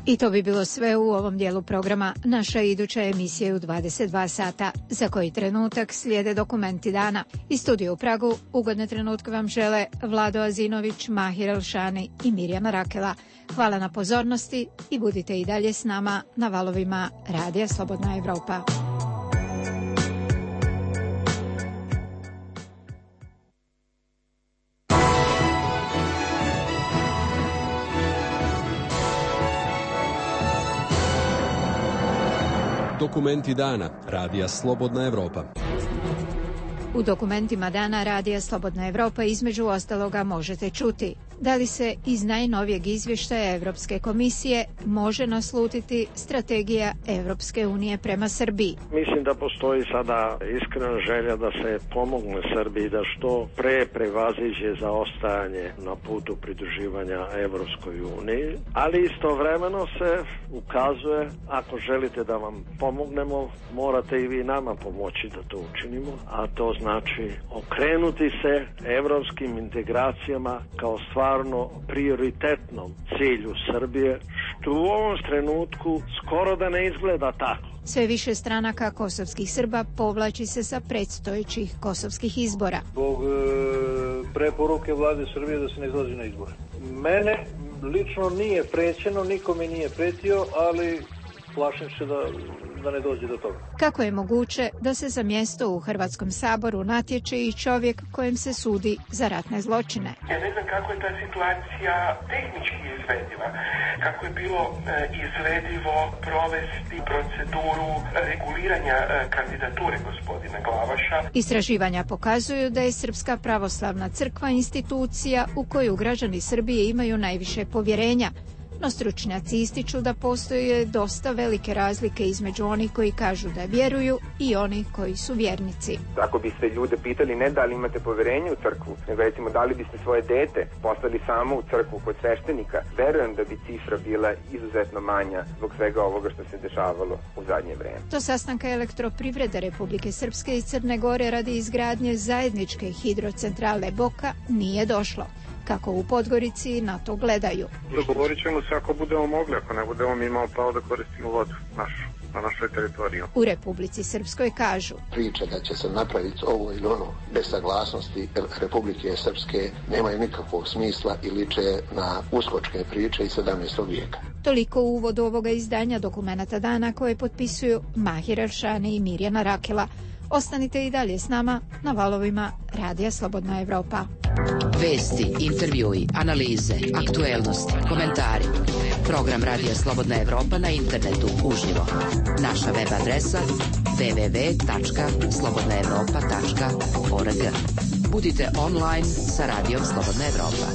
S1: I to bi bilo sve u ovom dijelu programa. Naša iduća emisija je u dvadeset dva sata. Za koji trenutak slijede dokumenti dana. Iz studija u Pragu ugodne trenutke vam žele Vlado Azinović, Mahir Elšani i Mirjana Rakela. Hvala na pozornosti i budite i dalje s nama na valovima Radija Slobodna Evropa.
S9: Dokumenti dana radija Slobodna Evropa.
S1: U dokumentima dana radija Slobodna Evropa između ostaloga možete čuti da li se iz najnovijeg izvještaja Evropske komisije može naslutiti strategija Evropske unije prema Srbiji.
S10: Mislim da postoji sada iskrena želja da se pomogne Srbiji da što pre prevaziđe zaostajanje na putu pridruživanja Evropskoj uniji, ali istovremeno se ukazuje, ako želite da vam pomognemo, morate i vi nama pomoći da to učinimo, a to znači okrenuti se evropskim integracijama kao stvarno prioritetnom cilju Srbije, što u ovom trenutku skoro da ne izgleda tako.
S1: Sve više stranaka kosovskih Srba povlači se sa predstojećih kosovskih izbora.
S11: Zbog e, preporuke vlade Srbije da se ne izlazi na izbore. Mene lično nije prećeno, nikome nije pretio, ali plašim se da, da ne dođe do toga.
S1: Kako je moguće da se za mjesto u Hrvatskom saboru natječe i čovjek kojem se sudi za ratne zločine?
S14: Ja ne znam kako je ta situacija tehnički izvediva, kako je bilo e, izvedivo provesti proceduru reguliranja e, kandidature gospodina Glavaša.
S1: Istraživanja pokazuju da je Srpska pravoslavna crkva institucija u koju građani Srbije imaju najviše povjerenja. No stručnjaci ističu da postoje dosta velike razlike između onih koji kažu da vjeruju i onih koji su vjernici.
S15: Ako biste ljude pitali ne da li imate povjerenje u crkvu, nego recimo da li biste svoje dete poslali samo u crkvu kod sveštenika, verujem da bi cifra bila izuzetno manja zbog svega ovoga što se dešavalo u zadnje vreme.
S1: Do sastanka Elektroprivrede Republike Srpske i Crne Gore radi izgradnje zajedničke hidrocentrale Boka nije došlo. Kako u Podgorici na to gledaju.
S26: Dogovorit ćemo se ako budemo mogli, ako ne budemo mi imali pravo da koristimo vodu našu, na našoj teritoriji.
S1: U Republici Srpskoj kažu:
S27: Priča da će se napraviti ovo ili ono bez saglasnosti Republike Srpske nemaju nikakvog smisla i liče na uskočke priče iz sedamnaestog vijeka.
S1: Toliko u uvodu ovoga izdanja dokumenata dana koje potpisuju Mahir Eršani i Mirjana Rakela. Ostanite i dalje s nama na valovima Radija Slobodna Evropa.
S28: Vesti, intervjui, analize, aktuelnosti, komentari. Program Radija Slobodna Evropa na internetu uživo. Naša web adresa w w w tačka slobodna evropa tačka org. Budite online sa Radijom Slobodna Evropa.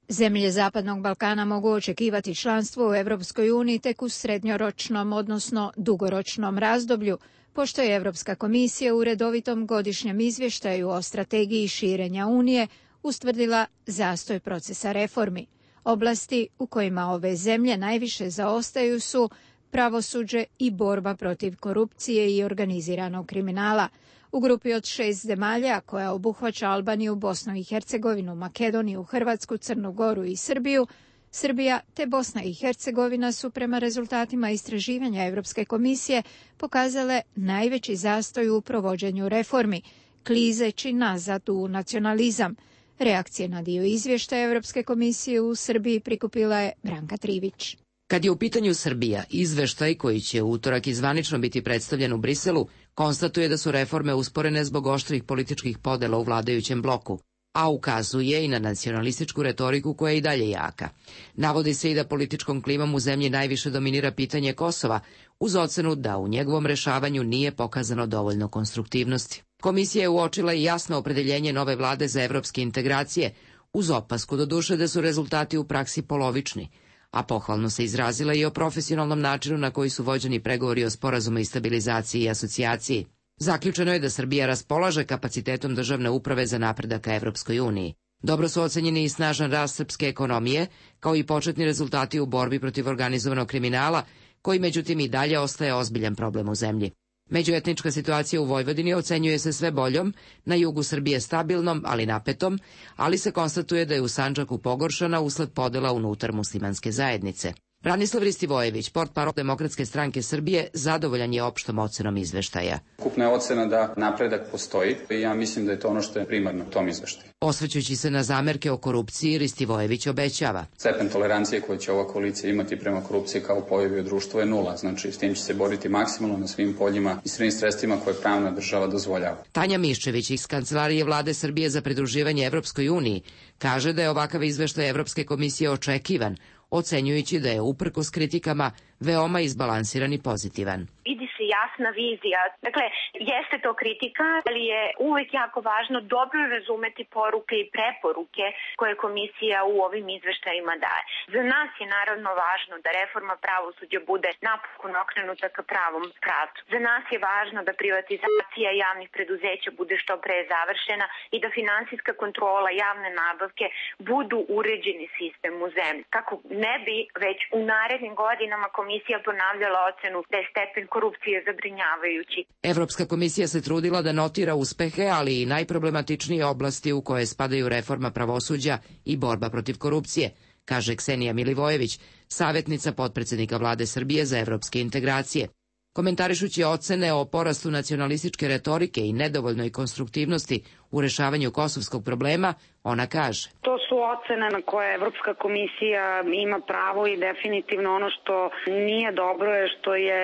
S1: Zemlje Zapadnog Balkana mogu očekivati članstvo u Evropskoj uniji tek u srednjoročnom, odnosno dugoročnom razdoblju, pošto je Evropska komisija u redovitom godišnjem izvještaju o strategiji širenja Unije ustvrdila zastoj procesa reformi. Oblasti u kojima ove zemlje najviše zaostaju su pravosuđe i borba protiv korupcije i organiziranog kriminala. U grupi od šest zemalja, koja obuhvaća Albaniju, Bosnu i Hercegovinu, Makedoniju, Hrvatsku, Crnu Goru i Srbiju, Srbija te Bosna i Hercegovina su prema rezultatima istraživanja Europske komisije pokazale najveći zastoj u provođenju reformi, klizeći nazad u nacionalizam. Reakcije na dio izvještaja Europske komisije u Srbiji prikupila je Branka Trivić.
S28: Kad je u pitanju Srbija, izveštaj koji će u utorak izvanično biti predstavljen u Briselu konstatuje da su reforme usporene zbog oštrih političkih podela u vladajućem bloku, a ukazuje i na nacionalističku retoriku koja je i dalje jaka. Navodi se i da političkom klimom u zemlji najviše dominira pitanje Kosova, uz ocenu da u njegovom rešavanju nije pokazano dovoljno konstruktivnosti. Komisija je uočila i jasno opredeljenje nove vlade za evropske integracije, uz opasku doduše da su rezultati u praksi polovični, a pohvalno se izrazila i o profesionalnom načinu na koji su vođeni pregovori o sporazumu i stabilizaciji i asocijaciji. Zaključeno je da Srbija raspolaže kapacitetom državne uprave za napredak ka Evropskoj uniji. Dobro su ocenjeni i snažan rast srpske ekonomije, kao i početni rezultati u borbi protiv organizovanog kriminala, koji međutim i dalje ostaje ozbiljan problem u zemlji. Međuetnička situacija u Vojvodini ocenjuje se sve boljom, na jugu Srbije stabilnom, ali napetom, ali se konstatuje da je u Sandžaku pogoršana usled podela unutar muslimanske zajednice. Branislav Ristivojević, portparol Demokratske stranke Srbije, zadovoljan je opštom ocenom izveštaja.
S22: Ukupna je ocena da napredak postoji i ja mislim da je to ono što je primarno u tom izveštaju.
S28: Osvrćući se na zamerke o korupciji, Ristivojević obećava:
S22: Stepen tolerancije koje će ova koalicija imati prema korupciji kao pojavi u društvu je nula, znači s tim će se boriti maksimalno na svim poljima i svim sredstvima koje pravna država dozvoljava.
S28: Tanja Miščević iz Kancelarije vlade Srbije za pridruživanje Evropskoj uniji kaže da je ovakav izveštaj Evropske komisije očekivan, ocenjujući da je uprkos kritikama veoma izbalansiran i pozitivan.
S4: Vidi se jasna vizija. Dakle, jeste to kritika, ali je uvek jako važno dobro razumeti poruke i preporuke koje komisija u ovim izveštajima daje. Za nas je naravno važno da reforma pravosuđa bude napokon okrenuta ka pravom pravcu. Za nas je važno da privatizacija javnih preduzeća bude što pre završena i da finansijska kontrola javne nabavke budu uređeni sistem u zemlji. Kako ne bi već u narednim godinama komisija ponavljala ocenu da je stepen korupcije zabrinjavajući.
S28: Evropska komisija se trudila da notira uspehe, ali i najproblematičnije oblasti u koje spadaju reforma pravosuđa i borba protiv korupcije, kaže Ksenija Milivojević, savjetnica potpredsednika vlade Srbije za evropske integracije. Komentarišući ocene o porastu nacionalističke retorike i nedovoljnoj konstruktivnosti u rešavanju kosovskog problema, ona kaže:
S12: To su ocene na koje Evropska komisija ima pravo i definitivno ono što nije dobro je što je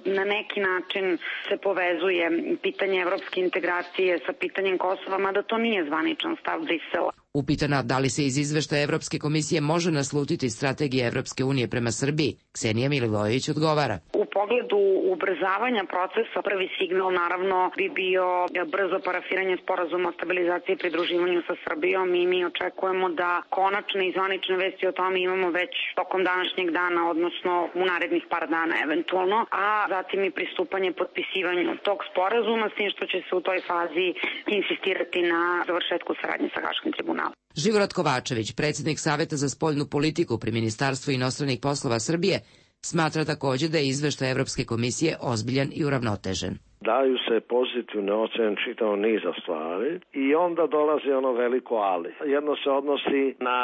S12: na neki način se povezuje pitanje evropske integracije sa pitanjem Kosova, mada to nije zvaničan stav Brisela.
S28: Upitana da li se iz izveštaja Evropske komisije može naslutiti strategija Evropske unije prema Srbiji, Ksenija Milivojević odgovara:
S12: U pogledu ubrzavanja procesa prvi signal naravno bi bio brzo parafiranje sporazuma o stabilizaciji i pridruživanju sa Srbijom i mi očekujemo da konačne i zvanične vesti o tome imamo već tokom današnjeg dana, odnosno u narednih par dana eventualno, a zatim i pristupanje potpisivanju tog sporazuma, s tim što će se u toj fazi insistirati na završetku saradnje sa Haškim tribunalom.
S28: Živorad Kovačević, predsjednik Saveta za spoljnu politiku pri Ministarstvu inostranih poslova Srbije, smatra također da je izveštaj Evropske komisije ozbiljan i uravnotežen.
S10: Daju se pozitivne ocene čitavog niza stvari i onda dolazi ono veliko ali. Jedno se odnosi na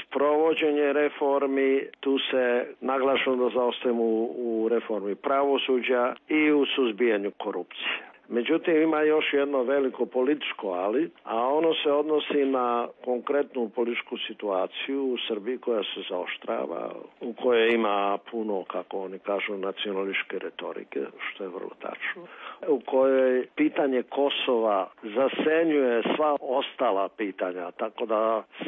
S10: sprovođenje reformi, tu se naglašeno da zaostajemo u reformi pravosuđa i u suzbijanju korupcije. Međutim, ima još jedno veliko političko ali, a ono se odnosi na konkretnu političku situaciju u Srbiji koja se zaoštrava, u kojoj ima puno, kako oni kažu, nacionalističke retorike, što je vrlo tačno, u kojoj pitanje Kosova zasenjuje sva ostala pitanja, tako da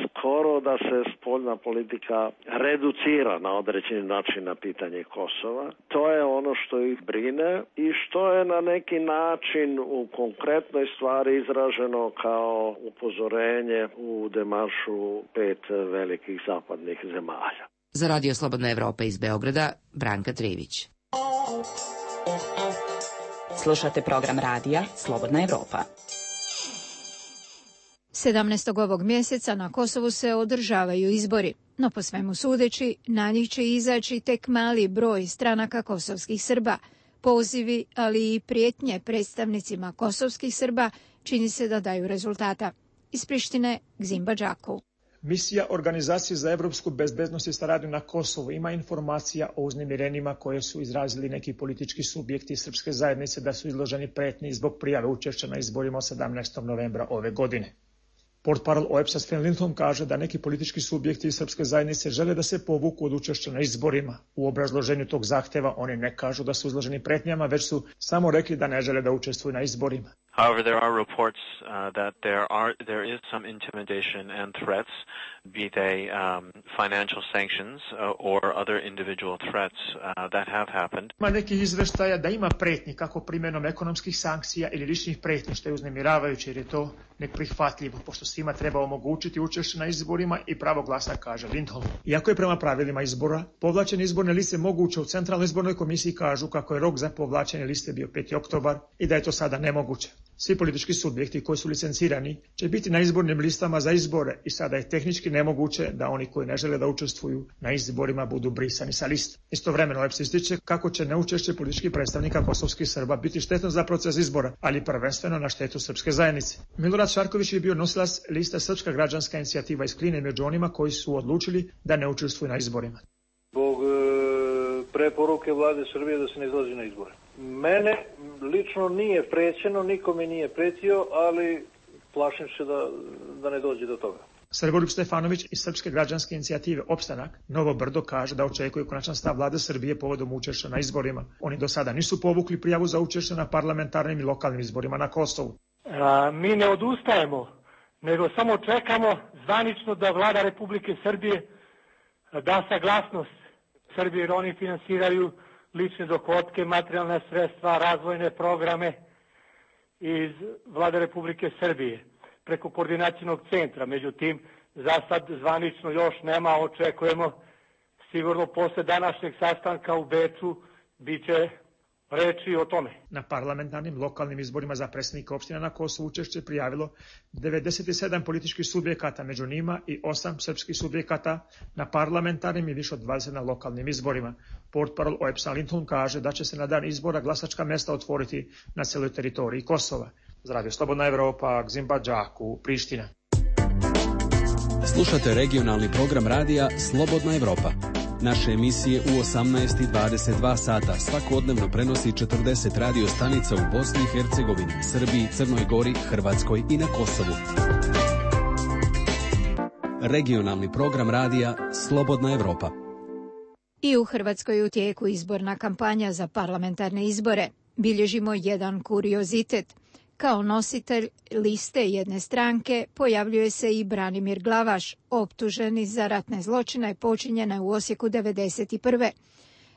S10: skoro da se spoljna politika reducira na određeni način na pitanje Kosova. To je ono što ih brine i što je na neki način u konkretnoj stvari izraženo kao upozorenje u demaršu pet velikih zapadnih zemalja.
S28: Za Radio Slobodna Evropa iz Beograda, Branka Trivić.
S13: Slušate program radija Slobodna Evropa.
S1: sedamnaestog ovog mjeseca na Kosovu se održavaju izbori, no po svemu sudeći na njih će izaći tek mali broj stranaka kosovskih Srba. Pozivi, ali i prijetnje predstavnicima kosovskih Srba čini se da daju rezultata. Iz Prištine, Gzimba Đaku.
S16: Misija Organizacije za evropsku bezbednost i saradnju na Kosovu ima informacija o uznemirenjima koje su izrazili neki politički subjekti srpske zajednice da su izloženi pretnji zbog prijave učešća na izborima sedamnaestog novembra ove godine. Portparol O E B S-a Sven Lindholm kaže da neki politički subjekti iz srpske zajednice žele da se povuku od učešća na izborima. U obrazloženju tog zahteva oni ne kažu da su izloženi pretnjama, već su samo rekli da ne žele da učestvuju na izborima.
S17: However, there are reports uh, that there are there is some intimidation and threats, be they um, financial sanctions uh, or other individual threats uh, that have happened.
S16: Ima nekih izveštaja da ima pretnji kako primjenom ekonomskih sankcija ili ličnih pretnji, što je uznemiravajuće jer je to neprihvatljivo, pošto svima treba omogućiti učešće na izborima i pravo glasa, kaže Lindholm. Iako je prema pravilima izbora, povlačenje izborne liste moguće, u Centralnoj izbornoj komisiji kažu kako je rok za povlačenje liste bio peti oktobar i da je to sada nemoguće. Svi politički subjekti koji su licencirani će biti na izbornim listama za izbore i sada je tehnički nemoguće da oni koji ne žele da učestvuju na izborima budu brisani sa liste. Istovremeno O E B S ističe kako će neučešće političkih predstavnika kosovskih Srba biti štetno za proces izbora, ali prvenstveno na štetu srpske zajednice. Milorad Šarković je bio nosilac liste Srpska građanska inicijativa iz Kline među onima koji su odlučili da ne učestvuju na izborima.
S11: Zbog e, preporuke vlade Srbije da se ne izlazi na izbore. Mene lično nije prećeno, nikome nije pretio, ali plašim se da, da ne dođe do toga.
S16: Srboljub Stefanović iz Srpske građanske inicijative Opstanak Novo Brdo kaže da očekuje konačan stav vlade Srbije povodom učešća na izborima. Oni do sada nisu povukli prijavu za učešće na parlamentarnim i lokalnim izborima na Kosovu.
S18: A, mi ne odustajemo, nego samo čekamo zvanično da vlada Republike Srbije
S5: da saglasnost Srbije, jer oni finansiraju lične dohotke, materijalne sredstva, razvojne programe iz Vlade Republike Srbije preko koordinacionog centra. Međutim, za sad zvanično još nema, očekujemo sigurno posle današnjeg sastanka u Beču bit će reči o tome.
S16: Na parlamentarnim lokalnim izborima za predsjednika opština na Kosovu učešće prijavilo devedeset sedam političkih subjekata, među njima i osam srpskih subjekata na parlamentarnim i više od dvadeset na lokalnim izborima. Portparol O E P S-a Lindholm kaže da će se na dan izbora glasačka mesta otvoriti na celoj teritoriji Kosova. Za Radio Slobodna Evropa, Gzimba Đaku, Priština.
S9: Slušate regionalni program radija Slobodna Evropa. Naše emisije u osamnaest i dvadeset dva sata svakodnevno prenosi četrdeset radio stanica u Bosni i Hercegovini, Srbiji, Crnoj Gori, Hrvatskoj i na Kosovu. Regionalni program radija Slobodna Evropa.
S1: I u Hrvatskoj je u tijeku izborna kampanja za parlamentarne izbore. Bilježimo jedan kuriozitet. Kao nositelj liste jedne stranke pojavljuje se i Branimir Glavaš, optuženi za ratne zločine počinjene u Osijeku devedeset prve.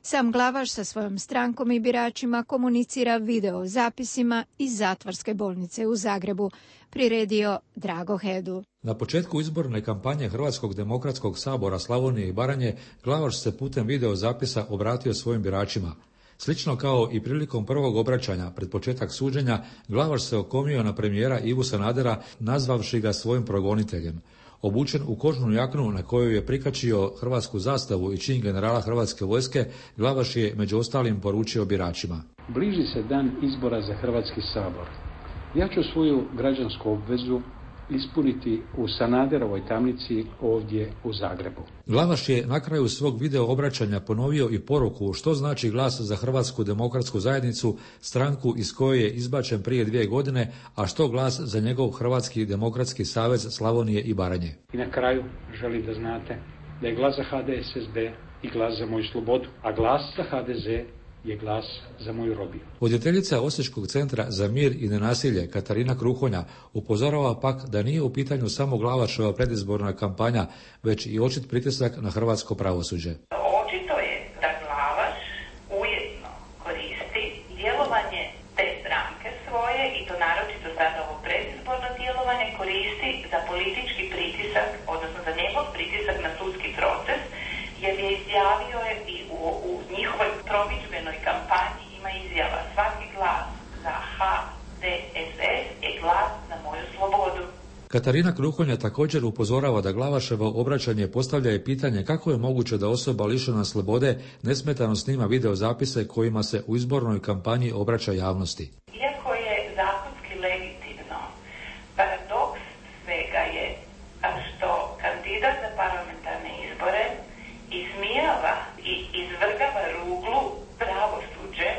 S1: Sam Glavaš sa svojom strankom i biračima komunicira video zapisima iz zatvorske bolnice u Zagrebu, priredio Drago Hedl.
S6: Na početku izborne kampanje Hrvatskog demokratskog sabora Slavonije i Baranje, Glavaš se putem video zapisa obratio svojim biračima. Slično kao i prilikom prvog obraćanja pred početak suđenja, Glavaš se okomio na premijera Ivu Sanadera, nazvavši ga svojim progoniteljem. Obučen u kožnu jaknu na kojoj je prikačio hrvatsku zastavu i čin generala Hrvatske vojske, Glavaš je među ostalim poručio biračima.
S7: Bliži se dan izbora za Hrvatski sabor. Ja ću svoju građansku obvezu ispuniti u Sanaderovoj tamnici ovdje u Zagrebu.
S6: Glavaš je na kraju svog video obraćanja ponovio i poruku što znači glas za Hrvatsku demokratsku zajednicu, stranku iz koje je izbačen prije dvije godine, a što glas za njegov Hrvatski demokratski savez Slavonije i Baranje.
S7: I na kraju želim da znate da je glas za H D S S B i glas za moju slobodu, a glas za H D Z je glas za moju robiju.
S6: Voditeljica Osječkog centra za mir i nenasilje Katarina Kruhonja upozorava pak da nije u pitanju samo Glavaševa predizborna kampanja, već i očit pritisak na hrvatsko pravosuđe.
S18: Očito je da Glavaš ujedno koristi djelovanje te stranke svoje, i to naročito sada ovo predizborno djelovanje, koristi za politički pritisak, odnosno za njegov pritisak na sudski proces, jer je izjavio je i u, u njihovoj promidžbenoj kampanji ima izjava: svaki glas za H D S S je glas za moju slobodu.
S6: Katarina Kruhonja također upozorava da Glavaševo obraćanje postavlja i pitanje kako je moguće da osoba lišena slobode nesmetano snima video zapise kojima se u izbornoj kampanji obraća javnosti.
S18: Iako je zakonski legitimno, paradoks svega je što kandidat za parlamentarne izbore ismijava i izvrgava ruglu pravosuđe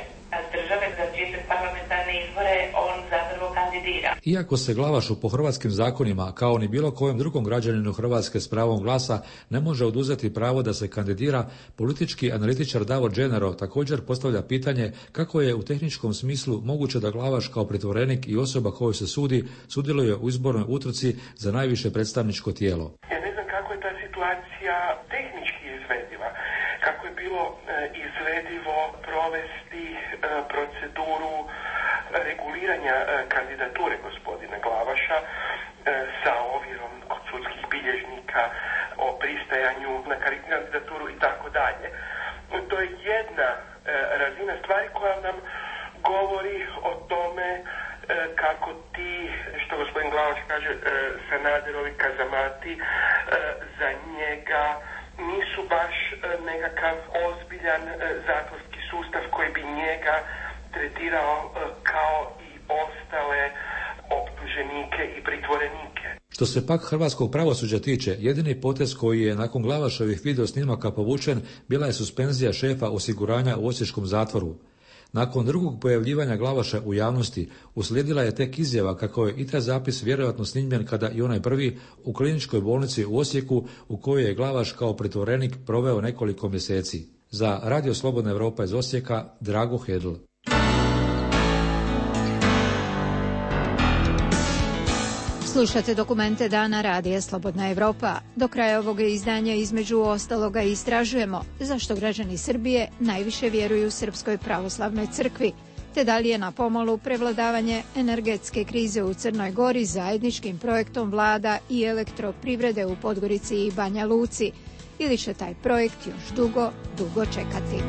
S18: države za čije se parlamentarne izbore on zapravo kandidira.
S6: Iako se Glavašu po hrvatskim zakonima, kao ni bilo kojem drugom građaninu Hrvatske s pravom glasa, ne može oduzeti pravo da se kandidira, politički analitičar Davor Dženero također postavlja pitanje kako je u tehničkom smislu moguće da Glavaš kao pritvorenik i osoba kojoj se sudi sudjeluje u izbornoj utrci za najviše predstavničko tijelo.
S14: Ja ne znam kako je ta situacija tehnički izvediva, kako je bilo e, izvedivo provesti e, proceduru reguliranja e, kandidature gospodina Glavaša e, sa ovjerom kod sudskih bilježnika o pristajanju na kandidaturu i tako dalje. To je jedna e, razina stvari koja nam govori o tome e, kako ti, što gospodin Glavaš kaže, e, Sanaderovi kazamati e, za njega nisu baš e, nekakav ozbiljan e, zatvorski sustav koji bi njega tretirao e, kao i ostale optuženike i pritvorenike.
S6: Što se pak hrvatskog pravosuđa tiče, jedini potez koji je nakon Glavaševih video snimaka povučen bila je suspenzija šefa osiguranja u osječkom zatvoru. Nakon drugog pojavljivanja Glavaša u javnosti uslijedila je tek izjava kako je i taj zapis vjerojatno snimljen kada i onaj prvi u kliničkoj bolnici u Osijeku u kojoj je Glavaš kao pritvorenik proveo nekoliko mjeseci. Za Radio Slobodna Evropa iz Osijeka, Drago Hedl.
S1: Slušate dokumente Dana radija Slobodna Evropa. Do kraja ovog izdanja između ostaloga istražujemo zašto građani Srbije najviše vjeruju Srpskoj pravoslavnoj crkvi, te da li je na pomolu prevladavanje energetske krize u Crnoj Gori zajedničkim projektom vlada i elektroprivrede u Podgorici i Banja Luci, ili će taj projekt još dugo, dugo čekati.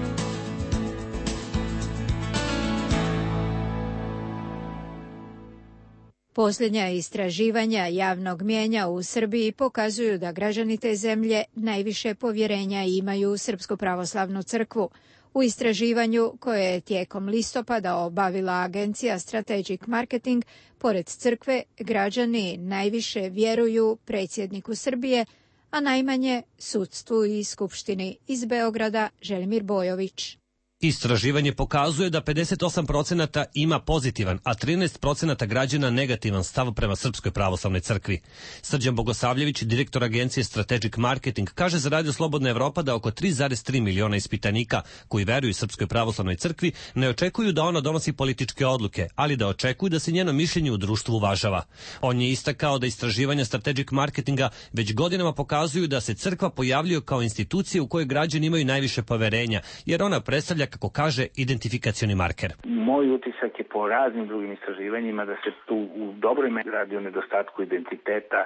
S1: Posljednja istraživanja javnog mnijenja u Srbiji pokazuju da građani te zemlje najviše povjerenja imaju u Srpsku pravoslavnu crkvu. U istraživanju koje je tijekom listopada obavila agencija Strategic Marketing, pored crkve, građani najviše vjeruju predsjedniku Srbije, a najmanje sudstvu i skupštini. Iz Beograda Želimir Bojović.
S2: Istraživanje pokazuje da pedeset osam procenata ima pozitivan, a trinaest procenata građana negativan stav prema Srpskoj pravoslavnoj crkvi. Srđan Bogosavljević, direktor agencije Strategic Marketing, kaže za Radio Slobodna Evropa da oko tri zarez tri miliona ispitanika koji veruju Srpskoj pravoslavnoj crkvi ne očekuju da ona donosi političke odluke, ali da očekuju da se njeno mišljenje u društvu uvažava. On je istakao da istraživanja Strategic Marketinga već godinama pokazuju da se crkva pojavljuje kao institucija u kojoj građani imaju najviše poverenja, jer ona predstavlja, kako kaže, identifikacioni marker.
S3: Moj utisak je po raznim drugim istraživanjima da se tu u dobroj meri radi o nedostatku identiteta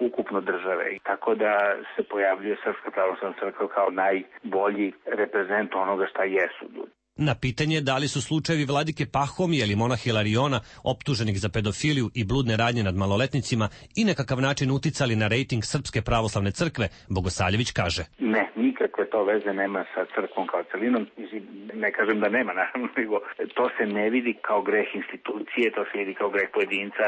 S3: ukupno države. Tako da se pojavljuje Srpska pravoslavna crkva kao najbolji reprezent onoga šta jesu ljudi.
S2: Na pitanje da li su slučajevi vladike Pahomija ili monaha Hilariona, optuženih za pedofiliju i bludne radnje nad maloletnicima, i nekakav način uticali na rejting Srpske pravoslavne crkve, Bogosavljević kaže:
S3: Ne, nikakve to veze nema sa crkvom kao celinom. Ne kažem da nema, naravno, nego to se ne vidi kao greh institucije, to se vidi kao greh pojedinca,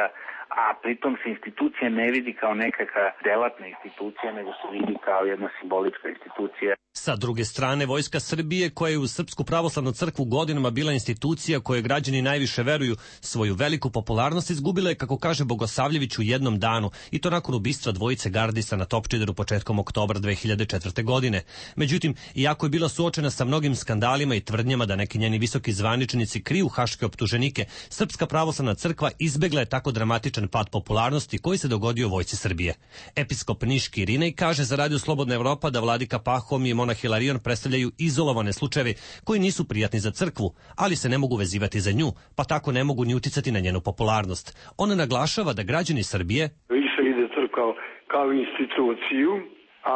S3: a pritom se institucija ne vidi kao nekakva delatna institucija, nego se vidi kao jedna simbolička institucija.
S2: Sa druge strane, Vojska Srbije, koja je u Srpsku pravoslavnu crkvu godinama bila institucija koje građani najviše veruju, svoju veliku popularnost izgubila je, kako kaže Bogosavljević, u jednom danu, i to nakon ubistva dvojice gardista na Topčideru početkom oktobra dve hiljade četvrte. godine. Međutim, iako je bila suočena sa mnogim skandalima i tvrdnjama da neki njeni visoki zvaničnici kriju haške optuženike, Srpska pravoslavna crkva izbegla je tako dramatičan pad popularnosti koji se dogodio Vojsci Srbije. Episkop Niški Irinej kaže za Radio Slobodna Evropa da vladika Pahom i monah Hilarion predstavljaju izolovane slučajeve koji nisu prijatni za crkvu, ali se ne mogu vezivati za nju, pa tako ne mogu ni uticati na njenu popularnost. On naglašava da građani Srbije
S8: više vide crkvu kao instituciju,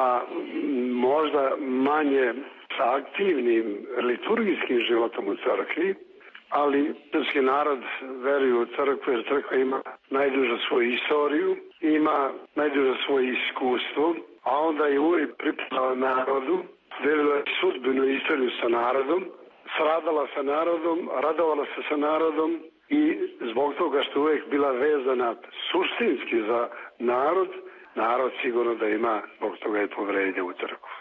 S8: a možda manje sa aktivnim liturgijskim životom u crkvi, ali srpski narod veruje u crkvu jer crkva ima najdužu svoju istoriju, ima najdužu svoje iskustvo, a onda je uvijek pripadala narodu, delila je sudbenu istoriju sa narodom, sradala sa narodom, radovala se sa narodom i zbog toga što uvijek bila vezana suštinski za narod, narod sigurno da ima zbog toga je poverenje u crkvu.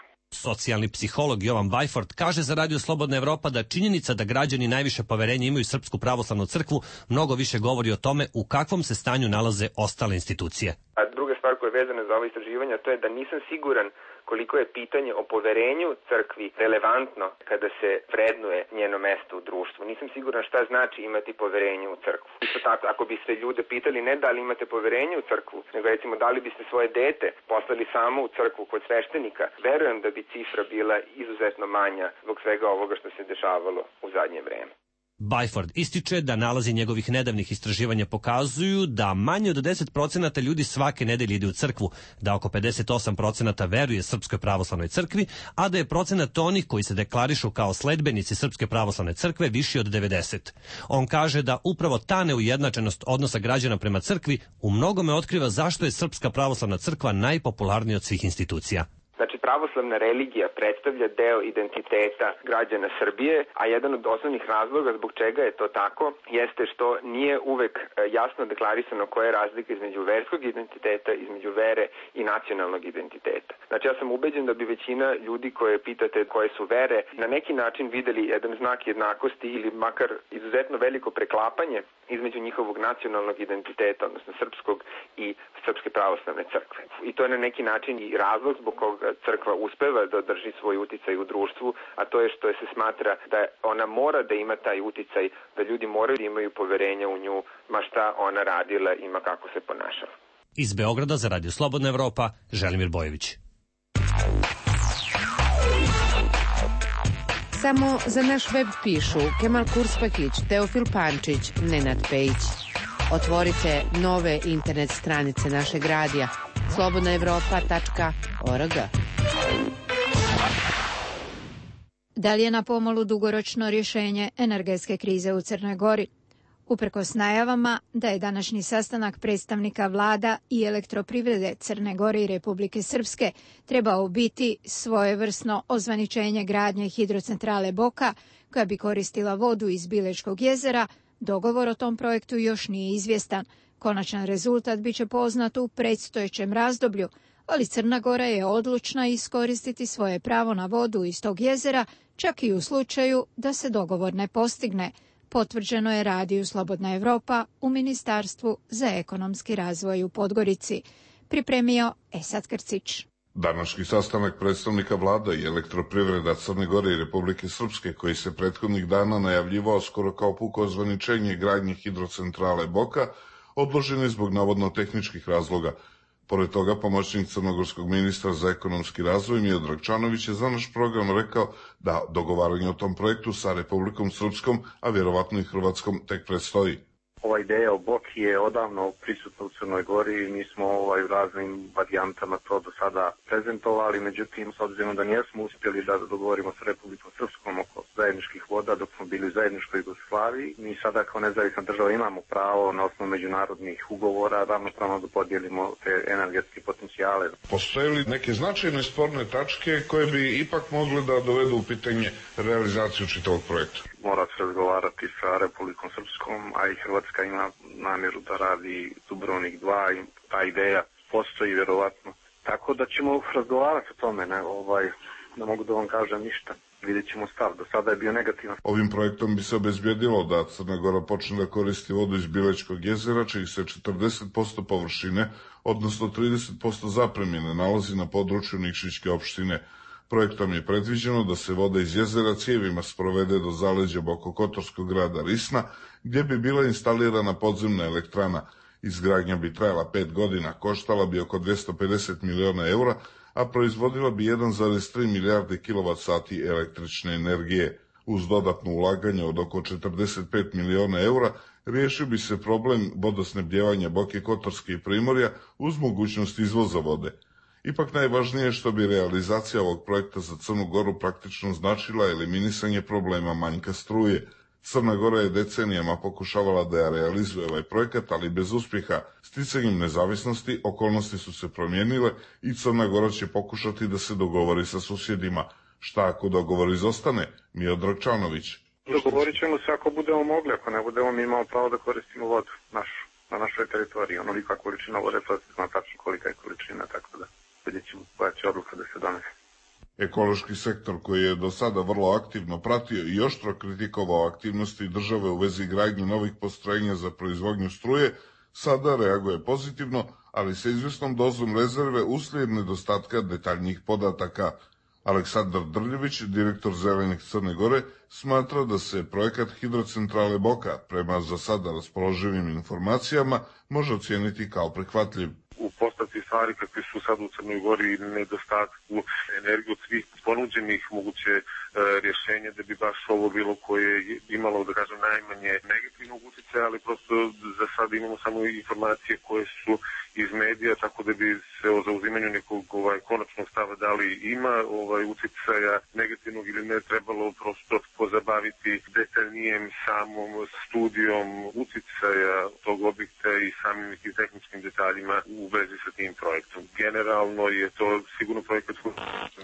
S2: Socijalni psiholog Jovan Bajford kaže za Radio Slobodna Evropa da činjenica da građani najviše poverenja imaju Srpsku pravoslavnu crkvu mnogo više govori o tome u kakvom se stanju nalaze ostale institucije.
S15: A druga stvar koja je vezana za ovo istraživanje, to je da nisam siguran koliko je pitanje o poverenju crkvi relevantno kada se vrednuje njeno mesto u društvu. Nisam siguran šta znači imati poverenje u crkvu. Isto tako, ako biste ljude pitali ne da li imate poverenje u crkvu, nego recimo da li biste svoje dete poslali samo u crkvu kod sveštenika, verujem da bi cifra bila izuzetno manja zbog svega ovoga što se dešavalo u zadnje vreme.
S2: Bajford ističe da nalazi njegovih nedavnih istraživanja pokazuju da manje od deset procenata ljudi svake nedelje ide u crkvu, da oko pedeset osam procenata veruje Srpskoj pravoslavnoj crkvi, a da je procenat onih koji se deklarišu kao sledbenici Srpske pravoslavne crkve viši od devedeset. On kaže da upravo ta neujednačenost odnosa građana prema crkvi u mnogome otkriva zašto je Srpska pravoslavna crkva najpopularnija od svih institucija.
S15: Znači, pravoslavna religija predstavlja deo identiteta građana Srbije, a jedan od osnovnih razloga zbog čega je to tako jeste što nije uvek jasno deklarisano koja je razlika između verskog identiteta, između vere i nacionalnog identiteta. Znači, ja sam ubeđen da bi većina ljudi koje pitate koje su vere na neki način videli jedan znak jednakosti ili makar izuzetno veliko preklapanje između njihovog nacionalnog identiteta, odnosno srpskog i Srpske pravoslavne crkve. I to je na neki način i razlog zbog koga crkva uspeva da drži svoj uticaj u društvu, a to je što se smatra da ona mora da ima taj uticaj, da ljudi moraju da imaju poverenja u nju, ma šta ona radila i ma kako se ponašala.
S2: Iz Beograda za Radio Slobodna Evropa, Želimir Bojević.
S19: Samo za naš web pišu Kemal Kurspakić, Teofil Pančić, Nenad Pejić. Otvorite nove internet stranice našeg radija slobodna evropa tačka org.
S1: Da li je na pomolu dugoročno rješenje energetske krize u Crnoj Gori? Uprkos najavama da je današnji sastanak predstavnika vlada i elektroprivrede Crne Gore i Republike Srpske trebao biti svojevrsno ozvaničenje gradnje hidrocentrale Boka, koja bi koristila vodu iz Bilečkog jezera, dogovor o tom projektu još nije izvjestan. Konačan rezultat biće poznat u predstojećem razdoblju, ali Crna Gora je odlučna iskoristiti svoje pravo na vodu iz tog jezera, čak i u slučaju da se dogovor ne postigne. Potvrđeno je Radiju Slobodna Evropa u Ministarstvu za ekonomski razvoj u Podgorici. Pripremio Esad Krcić.
S20: Današnji sastanak predstavnika vlada i elektroprivreda Crne Gore i Republike Srpske, koji se prethodnih dana najavljivao skoro kao puko ozvaničenje gradnje hidrocentrale Boka, odložen je zbog navodno tehničkih razloga. Pored toga, pomoćnik crnogorskog ministra za ekonomski razvoj Miodrag Čanović je za naš program rekao da dogovaranje o tom projektu sa Republikom Srpskom, a vjerovatno i Hrvatskom, tek predstoji.
S3: Ova ideja o Boki je odavno prisutna u Crnoj Gori i mi smo ovaj, u raznim varijantama to do sada prezentovali, međutim, s obzirom da nijesmo uspjeli da dogovorimo sa Republikom Srpskom oko zajedničkih voda dok smo bili u zajedničkoj Jugoslaviji, mi sada kao nezavisna država imamo pravo na osnovu međunarodnih ugovora ravnopravno da podijelimo te energetske potencijale.
S20: Postoje li neke značajne sporne tačke koje bi ipak mogle da dovedu u pitanje realizaciju čitavog projekta?
S3: Mora se razgovarati sa Republikom Srpskom, a i Hrvatska ima namjeru da radi Dubrovnik dva i ta ideja postoji vjerovatno. Tako da ćemo razgovarati o tome, ne, ovaj, ne mogu da vam kažem ništa. Vidjet ćemo stav. Do sada je bio negativan.
S20: Ovim projektom bi se obezbjedilo da Crna Gora počne da koristi vodu iz Bilečkog jezera, čiji se četrdeset posto površine, odnosno trideset posto zapremine, nalazi na području Nikšićke opštine. Projektom je predviđeno da se voda iz jezera cijevima sprovede do zaleđa Bokokotorskog grada Risna, gdje bi bila instalirana podzemna elektrana. Izgradnja bi trajala pet godina, koštala bi oko dvjesto pedeset miliona eura, a proizvodila bi jedan zarez tri milijarde kilovat sati električne energije. Uz dodatno ulaganje od oko četrdeset pet miliona eura riješio bi se problem vodosnebdjevanja Boke Kotorske i Primorja uz mogućnost izvoza vode. Ipak najvažnije je što bi realizacija ovog projekta za Crnu Goru praktično značila eliminisanje problema manjka struje. Crna Gora je decenijama pokušavala da je realizuje ovaj projekat, ali bez uspjeha. Sticanjem nezavisnosti okolnosti su se promijenile i Crna Gora će pokušati da se dogovori sa susjedima. Šta ako dogovor izostane? Miodrag Čanović.
S3: Dogovorit ćemo se ako budemo mogli, ako ne budemo mi imamo pravo da koristimo vodu našu, na našoj teritoriji. Onolika količina vode, to se zna tačno kolika je količina, tako da vidjet ćemo koja će odluka da se donese.
S20: Ekološki sektor, koji je do sada vrlo aktivno pratio i oštro kritikovao aktivnosti države u vezi gradnje novih postrojenja za proizvodnju struje, sada reaguje pozitivno, ali sa izvjesnom dozom rezerve uslijed nedostatka detaljnijih podataka. Aleksandar Drljević, direktor Zelenih Crne Gore, smatra da se projekat hidrocentrale Boka, prema za sada raspoloživim informacijama, može ocijeniti kao prihvatljiv.
S21: U postavci stvari kakve su sad u Crnoj Gori nedostatku energije od svih ponuđenih moguće e, rješenja da bi baš ovo bilo koje je imalo, da kažem, najmanje negativnog utjecaja, ali prosto za sad imamo samo informacije koje su iz medija, tako da bi se o zauzimanju nekog ovaj, konačnog stava da li ima ovaj, utjecaja negativnog ili ne trebalo prosto pozabaviti detaljnijem samom studijom utjecaja tog objekta i samim nekim tehničkim detaljima u vezi sa tim projektom. Generalno je to sigurno projekat koji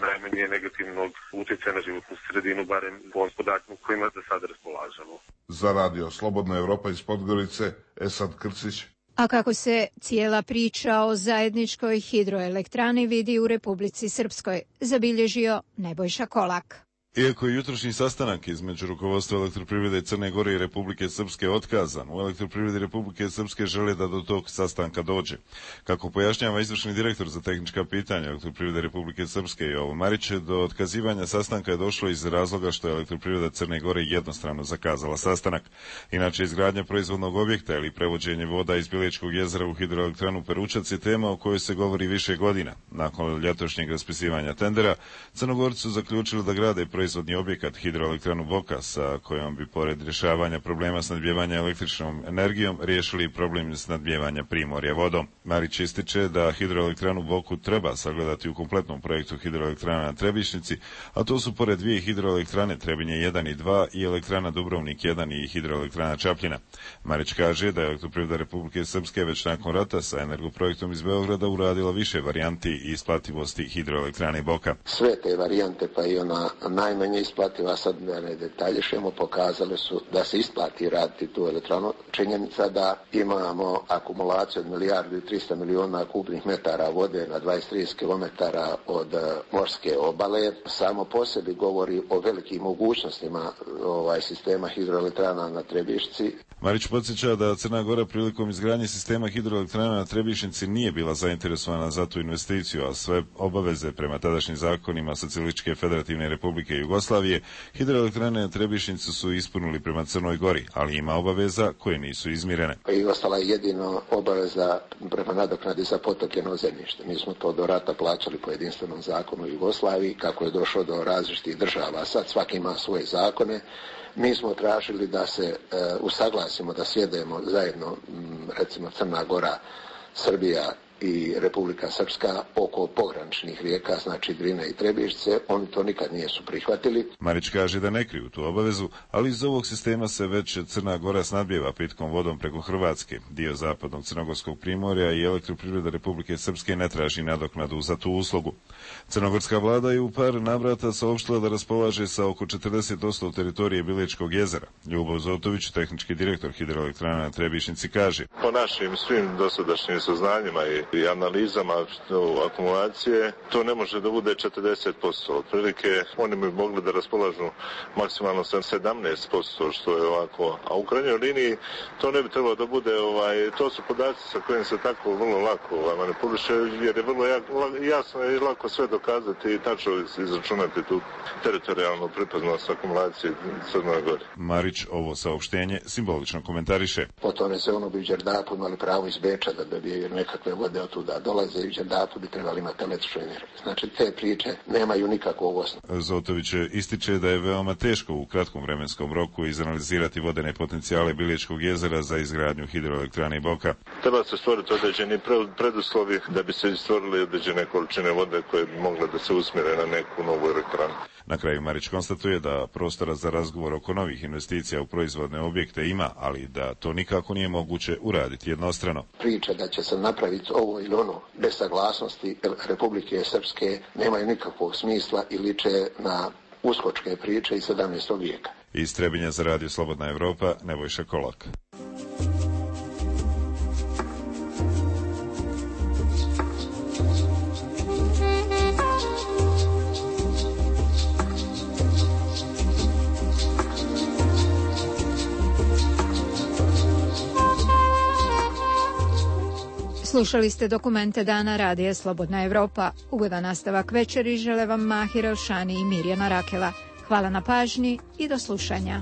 S21: najmanje negativnog utjecaja na životnu sredinu, barem po podacima kojima da sada raspolažemo.
S20: Za Radio Slobodna Evropa iz Podgorice, Esad Krcić.
S1: A kako se cijela priča o zajedničkoj hidroelektrani vidi u Republici Srpskoj, zabilježio Nebojša Kolak.
S4: Iako je jutrošnji sastanak između rukovodstva Elektroprivrede Crne Gore i Republike Srpske otkazan, u Elektroprivredi Republike Srpske žele da do tog sastanka dođe. Kako pojašnjava izvršni direktor za tehnička pitanja Elektroprivrede Republike Srpske Jovo Marić, do otkazivanja sastanka je došlo iz razloga što je Elektroprivreda Crne Gore jednostrano zakazala sastanak. Inače, izgradnja proizvodnog objekta ili prevođenje voda iz Bilećkog jezera u hidroelektranu Peručac je tema o kojoj se govori više godina. Nakon ljetošnjeg raspisivanja tendera, Crnogorci su zaključili da grade proizvodni objekat hidroelektranu Boka, sa kojom bi pored rješavanja problema snadbijevanja električnom energijom riješili problem snadbijevanja Primorja vodom. Marić ističe da hidroelektranu Boku treba sagledati u kompletnom projektu hidroelektrana na Trebišnici, a to su pored dvije hidroelektrane Trebinje jedan i dva i elektrana Dubrovnik jedan i hidroelektrana Čapljina. Marić kaže da je Elektroprivreda Republike Srpske već nakon rata sa energoprojektom iz Beograda uradila više varijanti isplativosti hidroelektrane Boka.
S12: Sve te varijante, pa i ona najmanje isplativa, sad ne detaljišemo, pokazale su da se isplati raditi tu elektranu. Činjenica da imamo akumulaciju od milijardu i trista miliona kubnih metara vode na dvadeset do trideset kilometara od morske obale, samo po sebi govori o velikim mogućnostima ovaj sistema hidroelektrana na Trebišci.
S4: Marić podsjeća da Crna Gora prilikom izgradnje sistema hidroelektrana na Trebišnici nije bila zainteresovana za tu investiciju, a sve obaveze prema tadašnjim zakonima Socijalističke federativne republike Jugoslavije, hidroelektrane na Trebišnici su ispunili prema Crnoj Gori, ali ima obaveza koje nisu izmirene.
S12: I ostala je jedino obaveza prema nadoknadi za potopljeno zemljište. Mi smo to do rata plaćali po jedinstvenom zakonu Jugoslaviji, kako je došlo do različitih država. Sad svaki ima svoje zakone. Mi smo tražili da se e, usaglasimo, da sjedemo zajedno, m, recimo Crna Gora, Srbija i Republika Srpska oko pograničnih rijeka, znači Drine i Trebišce. Oni to nikad nisu prihvatili.
S4: Marić kaže da ne kriju tu obavezu, ali iz ovog sistema se već Crna Gora snadbijeva pitkom vodom preko Hrvatske. Dio zapadnog crnogorskog primorja i Elektroprivreda Republike Srpske ne traži nadoknadu za tu uslugu. Crnogorska vlada je u par navrata saopštila da raspolaže sa oko četrdeset posto teritorije Bilećkog jezera. Ljubav Zotović, tehnički direktor hidroelektrana na Trebišnici, kaže:
S21: Po našim svim dosadašnjim saznanjima i i analizama akumulacije, to ne može da bude četrdeset posto. Otprilike oni bi mogli da raspolažu maksimalno sedamnaest posto, što je ovako. A u krajnjoj liniji to ne bi trebalo da bude, ovaj, to su podaci sa kojim se tako vrlo lako ovaj, manipuliše, jer je vrlo jasno i lako sve dokazati i tačno izračunati tu teritorijalnu pripadnost akumulacije Crnoj Gori.
S4: Marić ovo saopštenje simbolično komentariše.
S12: Potom je se ono bi u Đerdapu imali pravo iz Beča da dobije nekakve vode od tuda dolaze i u Đerdapu bi trebali imati električnu energiju. Znači te priče nemaju nikakvog osnova.
S4: Zotović ističe da je veoma teško u kratkom vremenskom roku izanalizirati vodene potencijale Bilećkog jezera za izgradnju hidroelektrane Boka.
S21: Treba se stvoriti određeni preduslovi da bi se stvorili određene količine vode koje bi mogle da se usmjere na neku novu elektranu.
S4: Na kraju Marić konstatuje da prostora za razgovor oko novih investicija u proizvodne objekte ima, ali da to nikako nije moguće uraditi jednostrano.
S12: Priča da će se napraviti ovo ili ono bez saglasnosti Republike Srpske nemaju nikakvog smisla i liče na uskočke priče iz sedamnaestog vijeka.
S4: Iz Trebinja za radio Slobodna Evropa, Nebojša Kolak.
S1: Slušali ste dokumente dana radija Slobodna Evropa. Ugodan nastavak večeri žele vam Mahir Elšani i Mirjana Rakela. Hvala na pažnji i do slušanja.